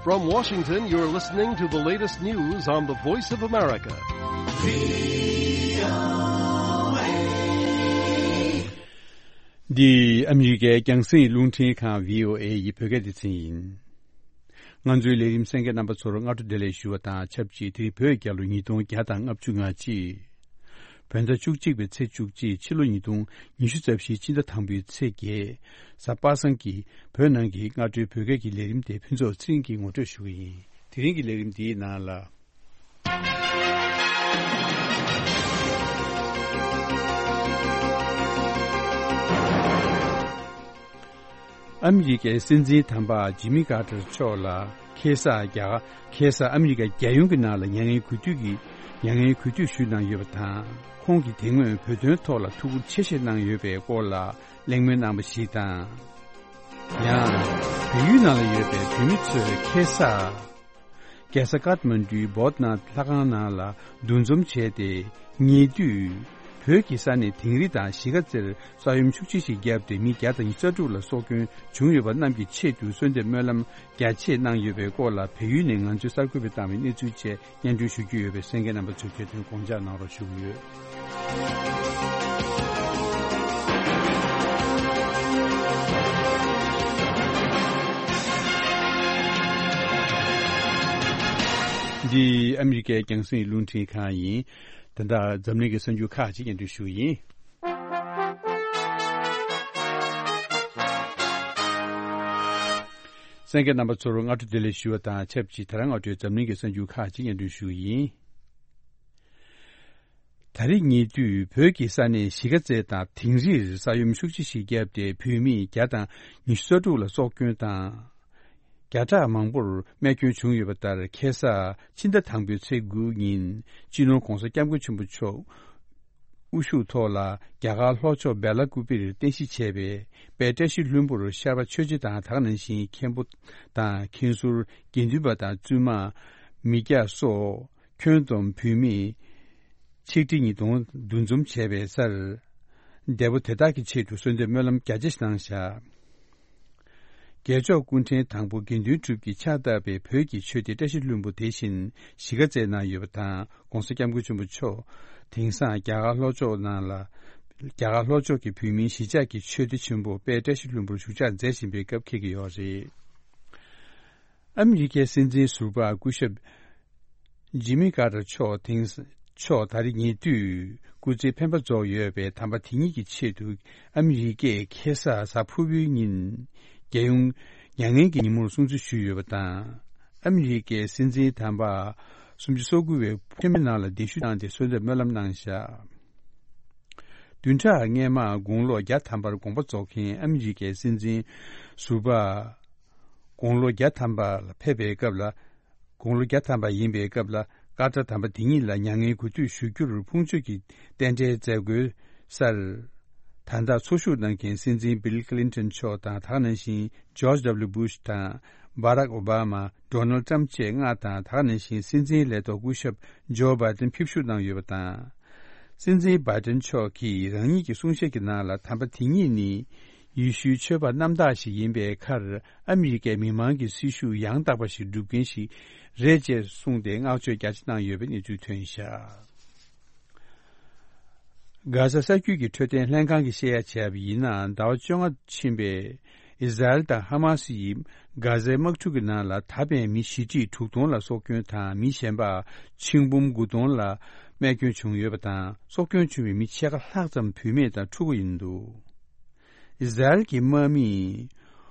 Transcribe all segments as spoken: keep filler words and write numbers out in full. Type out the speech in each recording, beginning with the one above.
From Washington, you're listening to the latest news on the Voice of America. འདི་ཨ་མི་རི་ཀའི་རྒྱང་སྲིང་རླུང་འཕྲིན་ཁང་བྷི་ཨོ་ཨེ་ཡི་བོད་སྐད་སྡེ་ཚན་ཡིན། ང་ཚོའི་ལས་རིམ་གསན་མཁན་རྣམ་པ་ཚོར་སྔ་དྲོ་བདེ་ལེགས་ཞུ་བ་དང་ཆབས་ཅིག་དེ་རིང་བོད་རྒྱལ་ལོ་ཉིས་སྟོང་བརྒྱ་དང་ལྔ་བཅུ་ང་གཅིག་བོད་ཟླ་བཅུ་གཅིག་པའི་ཚེས་བཅུ་གཅིག་ཕྱི་ལོ་ཉིས་སྟོང་ཉི་ཤུ་རྩ་བཞིའི་སྤྱི་ཟླ་དང་པོའི་ཚེས་བརྒྱད། གཟའ་པ་སངས་ཀྱི་བོད་ནང་གི་སྔ་དྲོའི་བོད་སྐད་ཀྱི་ལས་རིམ་དེ་ཕུན་ཚོགས་ཚེ་རིང་གིས་ངོ་སྤྲོད་ཞུ་གི་ཡིན། དེ་རིང་གི་ལས་རིམ་འདིའི་ནང་ལ། ཨ་མི་རི་ཀའི་སྲིད་འཛིན་དམ་པ་ཇི་མི་ཀར་ཏར་མཆོག་ལ་ཁ་སང་རྒྱ་གར་ཁ་སང་ཨ་མི་རི་ཀ་རྒྱལ་ཡོངས་ཀྱི་ནང་ལ་མྱ་ངན་གུས་འདུད་ཀྱི་མྱ་ངན་གུས་འདུད་ཞུས་གནང་ཡོད་པ་དང་། ཁོང་གིས་དེ་སྔོན་བོད་དོན་ཐོག་ལ་ཐུགས་ཁུར་ཆེ་བཞེས་གནང་ཡོད་པའི་སྐོར་ལ་གླེང་མོལ་གནང་བ་ཞིག་དང་། ཡང་། བལ་ཡུལ་ནང་ལ་ཡོད་པའི་བོད་མི་ཚོས་ཁ་སང་། རྒྱལ་ས་ཀཏ་མན་ཌུའི་བོད་ནང་ལྷ་ཁང་ནང་ལ་འདུ་འཛོམས་བྱས་ཏེ། ཉེ་དུས་བོད་ཀྱི་ས་གནས་དིང་རི་དང་གཞིས་ཀ་རྩེར་ས་ཡོམ་ཤུགས་ཆེ་ཞིག་བརྒྱབ་སྟེ་མི་བརྒྱ་དང་ཉི་ཤུ་རྩ་དྲུག་ལ་སྲོག་སྐྱོན་བྱུང་ཡོད་པ་རྣམས་ཀྱི་ཆེད་དུ་གསོལ་འདེབས་སྨོན་ལམ་རྒྱ་ཆེ་གནང་ཡོད་པའི་སྐོར་ལ་བལ་ཡུལ་ནས་ང་ཚོའི་གསར་འགོད་པས་བཏང་བའི་གནས་ཚུལ་བཅས་སྙན་སྒྲོན་ཞུ་རྒྱུ་ཡོད་པས་གསན་མཁན་རྣམ་པ་ཚོས་ཁྱེད་ཚོས་དགོངས་འཇགས་གནང་རོགས་ཞུ་གི་ཡོད། འདི་ཨ་མི་རི་ཀའི་རྒྱང་སྲིང་རླུང་འཕྲིན་ཁང་ཡིན། ད་ལྟ་འཛམ་གླིང་གི་གསར་འགྱུར་ཁག་ཅིག་སྙན་སྒྲོན་ཞུ་གི་ཡིན། གསན་མཁན་རྣམ་པ་ཚོར་སྔ་དྲོ་བདེ་ལེགས་ཞུ་བ་དང་ཆབས་ཅིག་ད་རང་སྔ་དྲོའི་འཛམ་གླིང་གི་གསར་འགྱུར་ཁག་ཅིག་སྙན་སྒྲོན་ཞུ་གི་ཡིན། ད་རེས་ཉེ་དུས་བོད་ཀྱི་ས་གནས་གཞིས་ཀ་རྩེ་དང་དིང་རིར་ས་ཡོམ་ཤུགས་ཆེ་ཞིག་བརྒྱབ་སྟེ་བོད་མི་བརྒྱ་དང་ཉི་ཤུ་རྩ་དྲུག་ལ་སྲོག་སྐྱོན་དང་། བརྒྱ་ཕྲག་མང་པོར་རྨས་སྐྱོན་བྱུང་ཡོད་པ་ལྟར་ཁ་སང་ཕྱི་ཟླ་དང་པོའི་ཚེས་དགུ་ཉིན་སྤྱི་ནོར་༧གོང་ས་༧སྐྱབས་མགོན་ཆེན་པོ་མཆོག་དབུ་བཞུགས་ཐོག་ལ་རྒྱ་གར་ལྷོ་ཕྱོགས་སྦེ་ལ་ཀུ་པེར་རྟེན་གཞི་བྱས་པའི་དཔལ་བཀྲ་ཤིས་ལྷུན་པོར་ཤར་པ་ཆོས་རྗེ་དང་དེ་ག་ནང་བཞིན་མཁན་པོ་དང་མཁན་ཟུར་དགེ་འདུན་པ་དང་བཙུན་མ་མི་སྐྱ་སོགས། ཁྱོན་བསྡོམས་བོད་མི་ཆིག་ཁྲི་ཉིས་སྟོང་འདུ་འཛོམས་བྱས་པའི་སར། འདས་པོ་དེ་དག་གི་ཆེད་དུ་གསོལ་འདེབས་སྨོན་ལམ་རྒྱ་ཆེ་ཞིག་གནང་བཞག་རྒྱལ་མཆོག་སྐུ་ཕྲེང་དང་པོ་དགེ་འདུན་གྲུབ་ཀྱིས་ཕྱག་བཏབ་པའི་བོད་ཀྱི་ཆོས་སྡེ་བཀྲ་ཤིས་ལྷུན་པོ་དེ་བཞིན་གཞིས་ཀ་རྩེའི་ནང་ཡོད་པ་དང་༧གོང་ས་༧སྐྱབས་མགོན་ཆེན་པོ་མཆོག་དེང་སང་རྒྱ་གར་ལྷོ་ཕྱོགས་ནང་ལ་རྒྱ་གར་ལྷོ་ཕྱོགས་ཀྱི་བོད་མིའི་གཞིས་ཆགས་ཀྱི་ཆོས་སྡེ་ཆེན་པོ་དཔལ་བཀྲ་ཤིས་ལྷུན་པོར་བཞུགས་ཕྱག་མཛད་བཞིན་པའི་སྐབས་འཁེལ་གྱི་ཡོད་རེད། ཨ་མི་རི་ཀའི་སྲིད་འཛིན་ཟུར་པ་སྐུ་ཞབས། ཇི་མི་ཀར་ཏར་མཆོག་དེང་མཆོག་ད་རེས་ཉེ་དུས་སྐུ་ཚེའི་འཕེན་པ་རྫོགས་ཡོད་པའི་དམ་པ་དེ་ཉིད་ཀྱི་ཆེད་དུ་ཨ་མི་རི་ཀས་ཁ་སང་གཟའ་ཕུར་བུའི་ཉིན་རྒྱལ་ཡོངས་མྱ་ངན་གྱི་ཉིན་མོར་སྲུང་བརྩི་ཞུས་ཡོད་པ་དང་། ཨ་མི་རི་ཀའི་སྲིད་འཛིན་དམ་པ་སུམ་ཅུ་སོ་དགུ་བའི་ཁྲིམས་མི་ནང་ལ་གདན་ཞུ་གནང་སྟེ་གསོལ་འདེབས་སྨོན་ལམ་གནང་བཞག་བདུན་ཕྲག་སྔོན་མ་དགུང་ལོ་བརྒྱ་ཐམ་པར་དགོངས་པ་རྫོགས་མཁན་ཨ་མི་རི་ཀའི་སྲིད་འཛིན་ཟུར་པ། དགུང་ལོ་བརྒྱ་ཐམ་པ་ལ་ཕེབས་པའི་སྐབས་ལ། དགུང་ལོ་བརྒྱ་ཐམ་པ་ཡིན་པའི་སྐབས་ལ་ཀར་ཏར་དམ་པ་དེ་ཉིད་ལ་མྱ་ངན་གུས་འདུད་ཞུ་རྒྱུར་ཕུང་མཆོད་ཀྱི་རྟེན་འབྲེལ་མཛད་སྒོའི་སར། ད་ལྟ་འཚོ་བཞུགས་གནང་མཁན་སྲིད་འཛིན་བིལ་ཀི་ལིན་ཏོན་མཆོག་དང་དེ་ག་ནང་བཞིན་ཇོརྗ་ཌབ་ལིའུ་བྷུཤ་དང་། སྦ་རག་ཨོ་བྷ་མ། ཌོ་ནལ་ཏྲམ་བཅས་ལྔ་དང་དེ་ག་ནང་བཞིན་སྲིད་འཛིན་ལས་ཐོག་སྐུ་ཞབས་ཇོ་བྷའི་ཏིན་ཕེབས་བཞུགས་གནང་ཡོད་པ་དང་། སྲིད་འཛིན་བྷའི་ཏིན་མཆོག་གིས་རང་ཉིད་ཀྱི་གསུང་བཤད་ཀྱི་ནང་ལ་དམ་པ་དེ་ཉིད་ནི་ཡེ་ཤུའི་ཆོས་པ་རྣམ་དག་ཞིག་ཡིན་པའི་ཁར་ཨ་མི་རི་ཀའི་མི་མང་གི་སྲི་ཞུ་ཡང་དག་པ་ཞིག་སྒྲུབ་མཁན་ཞིག་རེད་ཅེས་གསུངས་ཏེ་བསྔགས་བརྗོད་རྒྱ་ཆེ་གནང་ཡོད་པའི་གནས་ཚུལ་ཐོན་བཞག་གྷ་ཟ་ས་རྒྱུད་ཀྱི་འཕྲོད་བསྟེན་ལྷན་ཁང་གིས་བཤད་ཡ་བྱས་པ་ཡིན་ན་ཟླ་བ་བཅོ་ལྔ་ཕྱིན་པའི། ཨི་ཟ་རེལ་དང་ཧ་མ་སི་ཡིས་གྷ་ཟའི་དམག་འཁྲུག་གི་ནང་ལ་ད་ཕན་མི་བཞི་ཁྲི་དྲུག་སྟོང་ལ་སྲོག་སྐྱོན་དང་མི་གཞན་པ་ཆིག་འབུམ་དགུ་སྟོང་ལ་རྨས་སྐྱོན་བྱུང་ཡོད་པ་དང་སྲོག་སྐྱོན་བྱུང་བའི་མི་ཕྱེད་ཀ་ལྷག་ཙམ་བུད་མེད་དང་ཕྲུ་གུ་ཡིན་འདུག་ཨི་ཟ་རེལ་གྱི་དམག་མིས་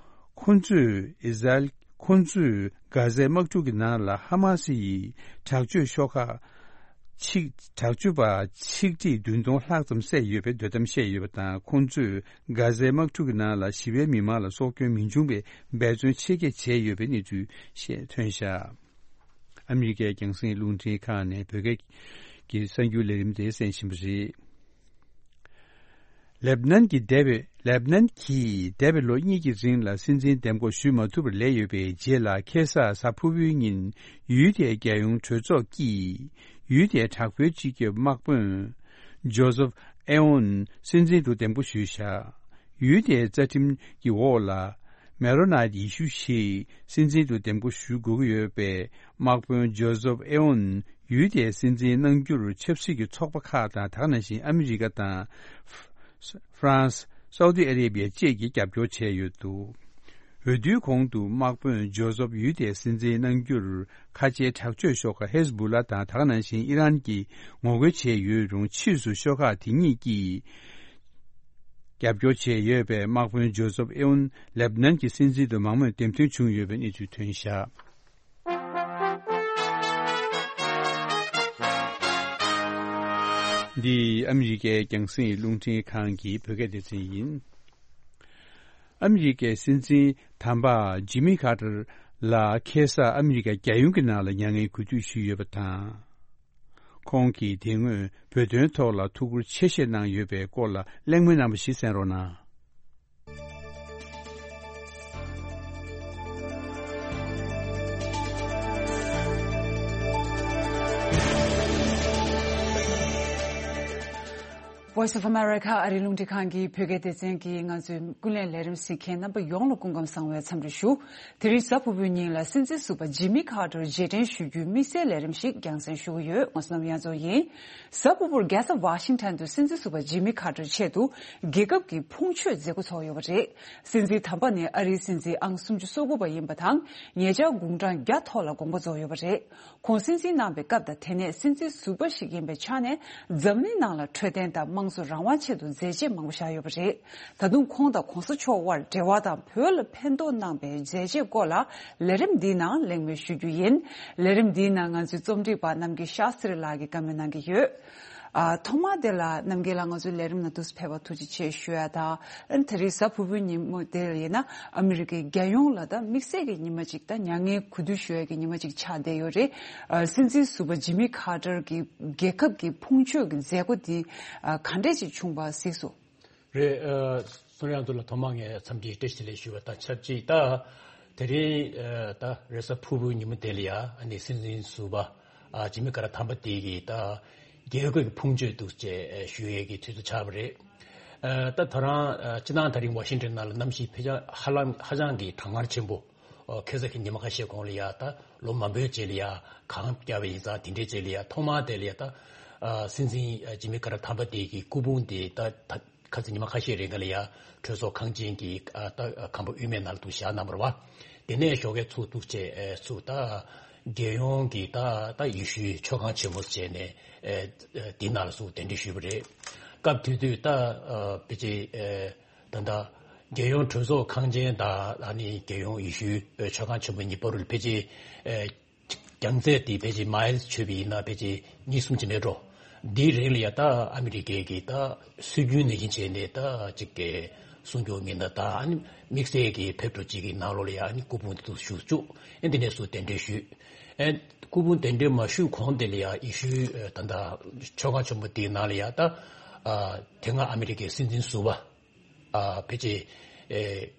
ཁོ་ཚོས་ཨི་ཟ་རེལ་ཁོ་ཚོས་གྷ་ཟའི་དམག་འཁྲུག་གི་ནང་ལ་ཧ་མ་སི་ཡི་དྲག་སྤྱོད་ཤོག་ཁག་ཆིག་དྲག་སྤྱོད་པ་ཆིག་ཁྲི་བདུན་སྟོང་ལྷག་ཙམ་བསད་ཡོད་པའི་འདོད་གཏམ་བཤད་ཡོད་པ་དང་ཁོང་ཚོས་གྷ་ཟའི་དམག་འཁྲུག་གི་ནང་ལ་ཞི་བའི་མི་མང་ལ་སྲོག་སྐྱོན་མི་འབྱུང་བའི་འབད་བརྩོན་ཆེ་བསྐྱེད་བྱས་ཡོད་པའི་གནས་ཚུལ་བཤད་ཐོན་བཞག་ཨ་མི་རི་ཀའི་རྒྱང་སྲིང་རླུང་འཕྲིན་ཁང་ནས་བོད་སྐད་ཀྱི་གསར་འགྱུར་ལས་རིམ་དེ་གསན་བཞིན་པ་རེད། ལེབ་ནན་གྱི་འདས་པའི་ལེབ་ནན་གྱིས་འདས་པའི་ལོ་གཉིས་ཀྱི་རིང་ལ་སྲིད་འཛིན་འདེམས་བསྐོ་ཞུས་མ་ཐུབ་པར་ལས་ཡོད་པའི་རྗེས་ལ་ཁ་སང་གཟའ་ཕུར་བུའི་ཉིན་ཡུལ་དེའི་རྒྱལ་ཡོངས་གྲོས་ཚོགས་ཀྱིས་ཡུལ་དེའི་དྲག་པོའི་སྤྱི་ཁྱབ་དམག་དཔོན་ཇོ་སེབ་ཨེ་ཨོན་སྲིད་འཛིན་དུ་འདེམས་བསྐོ་ཞུས་བཞག་ཡུལ་དེའི་རྩ་ཁྲིམས་ཀྱི་འོག་ལ་ མེ་རོ་ནའི་ཡེ་ཤུ་ཞིག་སྲིད་འཛིན་དུ་འདེམས་བསྐོ་ཞུ་དགོས་ཀྱི་ཡོད་པས། དམག་དཔོན་ཇོ་སེབ་ཨེ་ཝོན་ཡུལ་དེའི་སྲིད་འཛིན་གནང་རྒྱུར་ཆབ་སྲིད་ཀྱི་ཚོགས་པ་ཁག་དང་། དེ་ག་ནང་བཞིན་ཨ་མི་རི་ཀ་དང་། ཧྥ་རན་སི། སའུ་ཏི་ཨ་རེ་བི་ཡ་བཅས་ཀྱིས་རྒྱབ་སྐྱོར་བྱས་ཡོད་འདུག། འོས་བསྡུའི་གོང་དུ་དམག་དཔོན་ཇོ་སེབ་ཡུལ་དེའི་སྲིད་འཛིན་གནང་རྒྱུར་ཁ་ཆེའི་དྲག་སྤྱོད་ཤོག་ཁག་ཧེ་ཟི་བུ་ལ་དང་། དེ་ག་ནང་བཞིན་ཨི་རན་གྱིས་ངོ་རྒོལ་བྱས་ཡོད་རུང་། ཕྱིས་སུ་ཤོག་ཁག་དེ་གཉིས་ཀྱིས་རྒྱབ་སྐྱོར་བྱས་ཡོད་པས། དམག་དཔོན་ཇོ་སེབ་ཨེ་ཝོན་ལེབ་ནན་གྱི་སྲིད་འཛིན་དུ་མང་མོས་འདེམས་ཐོན་བྱུང་ཡོད་པའི་གནས་ཚུལ་ཐོན་བཞག། འདི་ཨ་མི་རི་ཀའི་རྒྱང་སྲིང་རླུང་འཕྲིན་ཁང་གི་བོད་སྐད་སྡེ་ཚན་ཡིན། ཨ་མི་རི་ཀའི་སྲིད་འཛིན་དམ་པ་ཇི་མི་ཁ་ཏར་ལ་ཁ་སང་ཨ་མི་རི་ཀ་རྒྱལ་ཡོངས་ཀྱི་ནང་ལ་མྱ་ངན་གུས་འདུད་ཞུས་ཡོད་པ་དང་། ཁོང་གིས་དེ་སྔོན་བོད་དོན་ཐོག་ལ་ཐུགས་ཁུར་ཆེ་བཞེས་གནང་ཡོད་པའི་སྐོར་ལ་གླེང་མོལ་གནང་བ་ཞིག་གསན་རོགས་གནང་། Voice of America ཨ་རིའི་རླུང་འཕྲིན་ཁང་གི་བོད་སྐད་སྡེ་ཚན་གྱིས་ང་ཚོའི་ཀུན་གླེང་ལས་རིམ་གཟིགས་མཁན་རྣམ་པ་ཡོངས་ལ་སྐུ་ཁམས་བཟང་བའི་འཚམས་འདྲི་ཞུ། དེ་རིང་གཟའ་ཕུར་བུའི་ཉིན་ལ་སྲིད་འཛིན་ཟུར་པ་ཇི་མི་ཁ་ཏར་རྗེས་དྲན་ཞུ་རྒྱུའི་དམིགས་བསལ་ལས་རིམ་ཞིག་རྒྱང་སྲིང་ཞུ་གི་ཡོད། ང་བསོད་ནམས་དབྱངས་མཚོ་ཡིན། གཟའ་ཕུར་བུར་རྒྱལ་ས་ཝ་ཤིང་ཊོན་དུ་སྲིད་འཛིན་ཟུར་པ་ཇི་མི་ཁ་ཏར་ཆེད་དུ་རྒྱལ་ཁབ་ཀྱི་ཕུང་མཆོད་མཛད་སྒོ་ཚོགས་ཡོད་པ་རེད། སྲིད་འཛིན་དམ་པ་ནི་ཨ་རིའི་སྲིད་འཛིན་ཨང་སུམ་ཅུ་སོ་དགུ་པ་ཡིན་པ་དང་། ཉེ་ཆར་དགུང་གྲངས་བརྒྱ་ཐོག་ལ་དགོངས་པ་རྫོགས་ཡོད་པ་རེད། ཁོང་སྲིད་འཛིན་གནང་བའི་སྐབས་དང་དེ་ནས་སྲིད་འཛིན་ཟུར་པ་ཞིག་ཡིན་པའི་ཆ་ནས། འཛམ་གླིང་ནང་ལ་འཕྲོད་བསྟེན་དང་དམངས་གཙོ་རང་དབང་ཆེད་དུ་མཛད་རྗེས་མང་པོ་བཞག་ཡོད་པ་རེད། ད་དུང་ཁོང་དང་གོང་ས་མཆོག་དབར་འབྲེལ་བ་དང་བོད་ལ་ཕན་ཐོགས་གནང་པའི་མཛད་རྗེས་སྐོར་ལ་ལས་རིམ་འདིའི་ནང་གླེང་མོལ་ཞུ་རྒྱུ་ཡིན། ལས་རིམ་འདིའི་ནང་ང་ཚོའི་རྩོམ་སྒྲིག་པ་རྣམ་རྒྱལ་ཤཱ་སྟྲི་ལགས་ཀྱིས་བཀའ་མོལ་གནང་གི་ཡོད། ཨ། ཐོག་མར་དེ་ལ་རྣམ་རྒྱལ་ལགས་ང་ཚོའི་ལས་རིམ་ནང་དུ་ཕེབས་པར་ཐུགས་རྗེ་ཆེ་ཞུ་ཡ་དང་། ཨ་ནི་དེ་རིང་གཟའ་ཕུར་བུའི་ཉིན་མོ་དེ་ལ་ཡིན་ན་ཨ་མི་རི་ཀའི་རྒྱལ་ཡོངས་ལ་ད་དམིགས་བསལ་གྱི་ཉི་མ་ཅིག་ད་མྱ་ངན་གུས་འདུད་ཞུ་ཡ་གི་ཉི་མ་ཅིག་ཆགས་བསྡད་ཡོད་རེད། ཨ། སྲིད་འཛིན་ཟུར་པ་ཇི་མི་ཁ་ཏར་གྱི་རྒྱལ་ཁབ་ཀྱི་ཕུང་མཆོད་ཀྱི་མཛད་སྒོ་འདི་ཨ་ག་འདྲས་ཅིག་བྱུང་བ་གཟིགས་སོང་། རེད། ཨ། བསོད་ནམས་དབྱངས་མཚོ་ལ་ཐོག་མར་ངས་འཚམས་འདྲི་བཀྲ་ཤིས་བདེ་ལེགས་ཞུ་བ་དང་ཆབས་ཅིག་ད་དེ་རིང་ཨ་ད་རེས་གཟའ་ཕུར་བུའི་ཉིན་མོ་དེ་ལ་ཡ་ཨ་ནི་སྲིད་འཛིན་ཟུར་པ་ཨ་ཇི་མི་ཁ་ཏར་དམ་པ་དེ་གིས་ད་རྒྱལ་ཁབ་ཀྱི་ཕུང་མཆོད་འདུག་ཅེས་ཞུ་ཡས་ཀྱི་དུས་ཚོད་ཆགས་པ་རེད། ཨ་ད་ད་རང་ཨ་སྤྱི་བཏང་ད་རིང་ཝ་ཤིང་ཊོན་ནང་ལ་གནམ་གཤིས་ཕལ་ཆེར་ཧ་ལམ་ཧ་ཅང་གི་གྲང་ངར་ཆེན་པོ། ཨ་ཁ་སང་གི་ཉི་མ་ཁ་ཤས་གོང་ལ་ཡ་ད་ལོ་མང་པོའི་རྗེས་ལ་ཡ་གངས་བརྒྱབ་པ་ཡིན་ཙང་དེ་འདྲའི་རྗེས་ལ་ཡ་ཐོག་མར་དེ་ལ་ཡ་ད་ཨ་སྲིད་འཛིན་ཨ་ཇི་མི་ཁ་ཏར་དམ་པ་དེ་གི་སྐུ་ཕུང་དེ་ད་ད་ཁ་སང་ཉི་མ་ཁ་ཤས་རིང་ག་ལ་ཡ་གྲོས་ཚོགས་ཁང་ཆེན་གྱི་ཨ་ད་ཁང་པ་དབུས་མའི་ནང་ལ་འདུག་བཞག་གནང་བ་རེད་བ། དེ་ནས་ཞོགས་ཀས་ཚུར་འདུག་བྱས་ཨ་ཚུར་ད་རྒྱལ་ཡོངས་ཀྱི་ད་ད་ཡེ་ཤུའི་མཆོད་ཁང་ཆེན་མོ་བྱས་ནས་ཨ་ཨ་དེ་ནང་ལ་ཚུར་གདན་འདྲེན་ཞུས་པ་རེད། སྐབས་དེ་དུས་ད་ཨ་ཕལ་ཆེར་ཨ་ད་ད་རྒྱལ་ཡོངས་གྲོས་ཚོགས་ཁང་ཆེན་དང་ཨ་ནི་རྒྱལ་ཡོངས་ཡེ་ཤུའི་ཨ་མཆོད་ཁང་ཆེན་མོ་གཉིས་བར་ལ་ཕལ་ཆེར་ཨ་རྒྱང་ཚད་དེ་ཕལ་ཆེར་མའིལ་ཆོད་པ་ཡིན་ན་ཕལ་ཆེར་གཉིས་གསུམ་ཅིག་མེད་འགྲོ། འདིའི་རིང་ལ་ཡ་ད་ཨ་མི་རི་ཀའི་གི་ད་སྲོལ་རྒྱུན་ནང་བཞིན་བྱས་ནས་ད་ཅིག་གི་གསུང་སྐྱོར་མི་སྣ་ད་ཨ་ནི་དམིགས་བསལ་གྱི་ཕེབས་འགྲོ་ཅིག་གི་ནང་ལོགས་ལ་ཡ་ཨ་ནི་སྐུ་ཕུང་དེ་ཚུར་བཞུགས་བཅུག་ཨེ་འདི་ནས་ཚུར་གདན་འདྲེན་ཞུས། ཨེ་སྐུ་ཕུང་གདན་འདྲེན་མ་ཞུས་གོང་དེ་ལ་ཡ་ཡེ་ཤུའི་ཨེ་ད་ད་མཆོད་ཁང་ཆེན་པོ་དེའི་ནང་ལ་ཡ་ད་ཨ་དེ་སྔ་ཨ་མི་རི་ཀའི་སྲིད་འཛིན་ཟུར་པ་ཨ་ཕལ་ཆེར་ཨེ་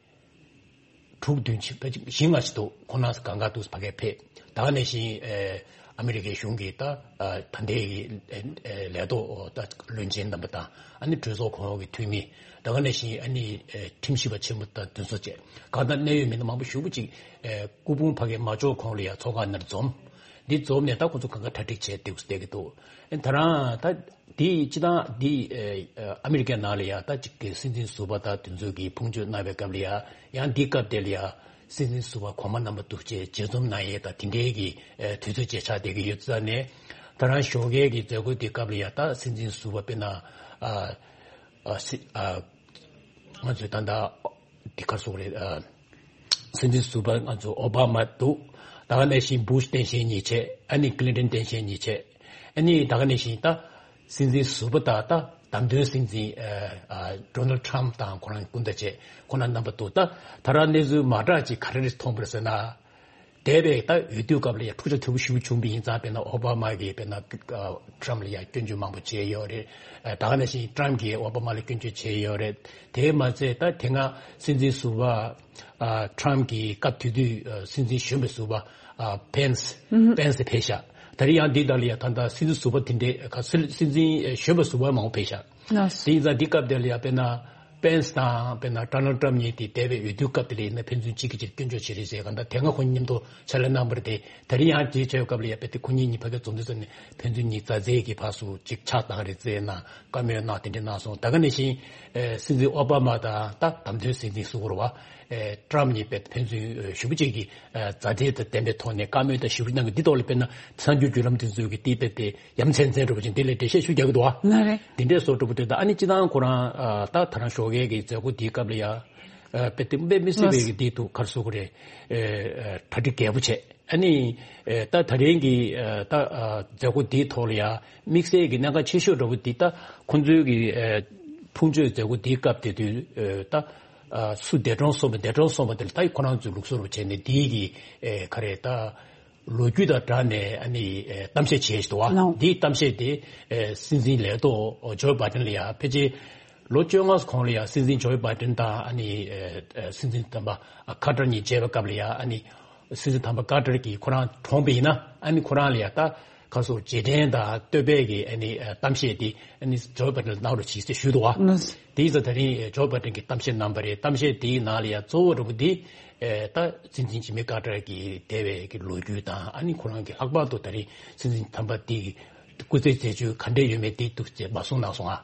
དྲུག་བདུན་ཕྱིན་ཕལ་ཆེར་བཞི་ལྔ་ཅིག་འདུག་ཁོང་རྣམ་ཚོ་གང་ག་འདུག་ཕ་གིར་ཕེབས། ད་ག་ནང་བཞིན་ཨེ་ཨ་མི་རི་ཀའི་གཞུང་གི་ད་ཨ་ད་ལྟའི་གི་ཨེ་ཨེ་ལས་ཐོག་ད་བློན་ཆེན་རྣམ་པ་དང་ཨ་ནི་གྲོས་ཚོགས་གོང་འོག་གི་འཐུས་མི་ད་ག་ནང་བཞིན་ཨ་ནི་ཨེ་ཁྲིམས་ཞིབ་པ་ཆེན་པོ་དང་དེ་ཚོ་བཅས་གང་ལྟར་གནད་ཡོད་མི་སྣ་མང་པོ་ཞེ་པོ་ཅིག་ཨེ་སྐུ་ཕུང་ཕ་གིར་མ་འབྱོར་གོང་ལ་ཡ་ཚོགས་ཁང་ནང་འཛོམས། འདི་འཛོམས་ནས་ད་ཁོ་ཚོ་གང་ག་གྲ་སྒྲིག་བྱས་འདུག་བསྡད་ཀྱི་འདུག་ཨེ་ད་རང་ད་འདི་སྤྱི་བཏང་འདི་ཨེ་ཨ་མི་རི་ཀའི་ནང་ལ་ཡ་ད་ཅིག་གི་སྲིད་འཛིན་ཟུར་པ་དང་དེ་ཚོ་གི་ཕུང་མཆོད་གནང་བའི་སྐབས་ལ་ཡ་ཡང་འདི་སྐབས་དེ་ལ་ཡ་སྲིད་འཛིན་ཟུར་པ་གོང་མ་རྣམ་པ་འདུག་བྱས་མཇལ་འཛོམས་གནང་ཡས་དང་དེ་འདྲའི་གི་ཨེ་དུས་ཚོད་ཅིག་ཆགས་བསྡད་ཀྱི་ཡོད་ཙང་ནས་ད་རང་ཞོགས་ཀའི་གི་མཛད་སྒོ་འདི་སྐབས་ལ་ཡ་ད་སྲིད་འཛིན་ཟུར་པ་དཔེར་ན་ཨ་ཨ་སྲིད་ཨ་ང་ཚོའི་ད་ལྟ་འདི་ག་རེ་ཟེར་དགོས་རེད། ཨ་སྲིད་འཛིན་ཟུར་པ་ང་ཚོ་ཨོ་བྷ་མ་འདུག་ད་ག་ནང་བཞིན་བུ་ཤ་སྟངས་དཔྱལ་གཉིས་བྱས། ཨ་ནི་ཀི་ལིན་ཊོན་སྟངས་དཔྱལ་གཉིས་བྱས། ཨ་ནི་ད་ག་ནང་བཞིན་ད་སྲིད་འཛིན་ཟུར་པ་དང་ད་བདམས་ཐོན་སྲིད་འཛིན་ཨ་ཨ་ཌོ་ནལ་ཌི་ཊམ་དང་ཁོ་རང་སྐུ་ཟླ་བྱས་ཁོ་རང་རྣམ་པ་འདུག་ད་ད་རང་གནས་ཚུལ་མ་འདྲ་ཅིག་ག་རེ་རེ་མཐོང་པ་རེད་ཟེར་ན། འདས་པའི་ད་འོས་བསྡུ་སྐབས་ལ་ཡང་འཁྲུག་ཆ་དོད་པོ་ཞེ་པོ་བྱུང་བ་ཡིན་ཙང་། དཔེར་ན་ཨོ་བྷ་མ་གིས་དཔེར་ན་ཨ་ཊམ་ལ་ཡང་སྐྱོན་བརྗོད་མང་པོ་བྱས་ཡོད་རེད། ཨ་ད་ག་ནང་བཞིན་ཊམ་གྱིས་ཨོ་བྷ་མ་ལ་སྐྱོན་བརྗོད་བྱས་ཡོད་རེད། དེས་མ་ཚད་ད་དེ་སྔ་སྲིད་འཛིན་ཟུར་པ་ཨ་ཊམ་གྱི་སྐབས་དེ་དུས་ཨ་སྲིད་འཛིན་གཞོན་པའི་ཟུར་པ་ཨ་པེན་སི་པེན་སི་ཕེབས་ཤག་ད་རེས་ཡང་འདི་དག་ལ་ཡང་ད་ལྟ་སྲིད་འཛིན་ཟུར་པ་དེ་འདྲའི་ག་སྲིད་སྲིད་འཛིན་གཞོན་པ་ཟུར་པ་མང་པོ་ཕེབས་ཤག་དེ་ཡིན་ཙང་འདི་སྐབས་དེ་ལ་ཡང་དཔེར་ན་ པེན་སི་དང་དཔེར་ན་ཌོ་ནལ་ཊམ་གཉིས་དེ་འདས་པའི་འོས་བསྡུའི་སྐབས་དེ་ལ་ཡིན་ན་ཕན་ཚུན་གཅིག་གིས་གཅིག་སྐྱོན་བརྗོད་བྱེད་རེས་བྱས་གང་ལྟར་དེ་སྔ་ཁོ་གཉིས་མཉམ་དུ་ཕྱག་ལས་གནང་བ་རེད་དེ། ད་རིང་ཡང་དེའི་ཆེད་སྐབས་ལ་ཡ་དཔེ་དེ་ཁོ་གཉིས་གཉིས་ཕ་གིར་འཛོམས་དུས་ཙམ་ནས་ཕན་ཚུན་གཉིས་མཛའ་བརྩེ་གི་ཕར་ཚུར་གཅིག་ཕྱག་བཏང་རེས་བྱས་ན་བཀའ་མོལ་གནང་དེ་འདྲ་གནང་སོང་། ད་ག་ནང་བཞིན་ཨེ་སྲིད་འཛིན་ཨོ་བྷ་མ་དང་ད་བདམས་ཐོན་སྲིད་འཛིན་ཟེར་དགོས་རེད་བ། ཨེ་ཊམ་གཉིས་དཔེ་ཕན་ཚུན་ཨེ་ཞེ་པོ་ཅིག་གི་ཨེ་མཛའ་བརྩེ་དང་ལྡན་པའི་ཐོག་ནས་བཀའ་མོལ་དང་ཞུ་གནང་གི་འདི་ཐོག་ལ་དཔེར་ན་གསར་འགྱུར་བརྒྱུད་ལམ་དེ་ཚོས་ཀྱི་དེ་དཔེ་དེ་ཡ་མཚན་མཚན་འདྲ་པོ་ཅིག་འདི་ལ་འགྲེལ་བཤད་ཞུ་རྒྱག་གི་འདུག་བ། ལགས་རེད། དེ་འདྲས་བཟོ་འདྲ་པོ་དེ་དང་ཨ་ནི་སྤྱི་བཏང་ཁོ་རང་ཨ་ད་ད་རང་ཞོགས་ཀས་ཀྱི་མཛད་སྒོ་འདིའི་སྐབས་ལ་ཡ་ཨ་དཔེ་དེ་དཔེ་མི་སྲིད་པའི་ལགས། གི་འདི་འདུག་ག་རེ་ཟེར་དགོས་རེད། ཨེ་ཨེ་གྲ་སྒྲིག་རྒྱས་པོ་བྱས། ཨ་ནི་ཨེ་ད་ད་རིང་གི་ཨེ་ད་ཨ་མཛད་སྒོ་འདིའི་ཐོག་ལ་ཡ་དམིགས་བསལ་གྱི་གནད་འགག་ཆེ་ཤོས་འདྲ་པོ་འདི་ད་ཁོང་ཚོའི་གི་ཨེ་ཕུང་མཆོད་མཛད་སྒོ་འདིའི་སྐབས་དེ་དུས་ཨེ་ད་ཨ་སུ་འདས་གྲོངས་སོང་བ་འདས་གྲོངས་སོང་བ་དེ་ལ་ད་ཁོ་རང་ཚོས་ལུགས་སྲོལ་རུ་བྱས་ནས་འདིའི་གི་ཨེ་ག་རེ་ད་ལོ་རྒྱུས་དང་སྦྲགས་ནས་ཨ་ནི་ཨེ་གཏམ་བཤད་བྱས་ཤིག་འདུག་བ། ལགས། འདིའི་གཏམ་བཤད་དེ་ཨེ་སྲིད་འཛིན་ལས་ཐོག་ཇོ་བྷ་ཌེན་ལ་ཡ་ཕལ་ཆེར་ལོ་བཅོ་ལྔ་གོང་ལ་ཡ་སྲིད་འཛིན་ཇོ་བྷ་ཌེན་དང་ཨ་ནི་ཨེ་ཨེ་སྲིད་འཛིན་དམ་པ་ཁ་ཏར་གཉིས་མཇལ་བའི་སྐབས་ལ་ཡ་ཨ་ནི་སྲིད་འཛིན་དམ་པ་ཁ་ཏར་གྱིས་ཁོ་རང་གྲོངས་པ་ཡིན་ན་ཨ་ནི་ཁོ་རང་ལ་ཡ་ད་ཁ་སོ་རྗེས་དྲན་དང་བསྟོད་པའི་གི་ཨ་ནི་ཨེ་གཏམ་བཤད་དེ་ཨ་ནི་ཇོ་བྷ་ཌེན་ལ་གནང་རོགས་གྱིས་ཟེར་ཞུས་འདུག་བ། ལགས། དེ་ཡིན་ཙང་ད་རིང་ཨེ་ཇོ་བྷ་ཌེན་གྱིས་གཏམ་བཤད་གནང་བ་རེད། གཏམ་བཤད་དེའི་ནང་ལ་ཡ་གཙོ་བོ་འདྲ་པོ་འདི་ཨེ་ད་སྲིད་འཛིན་ཇི་མི་ཁ་ཏར་གྱི་འདས་པའི་གི་ལོ་རྒྱུས་དང་ཨ་ནི་ཁོ་རང་གི་ལྷག་པར་དུ་ད་རིང་སྲིད་འཛིན་དམ་པ་འདི་གི་སྐུ་ཚེའི་མཛད་སྤྱོད་ག་འདྲས་ཡོད་མེད་འདི་འདུག་ཅེས་མ་གསུངས་གནང་སོང་ཨ།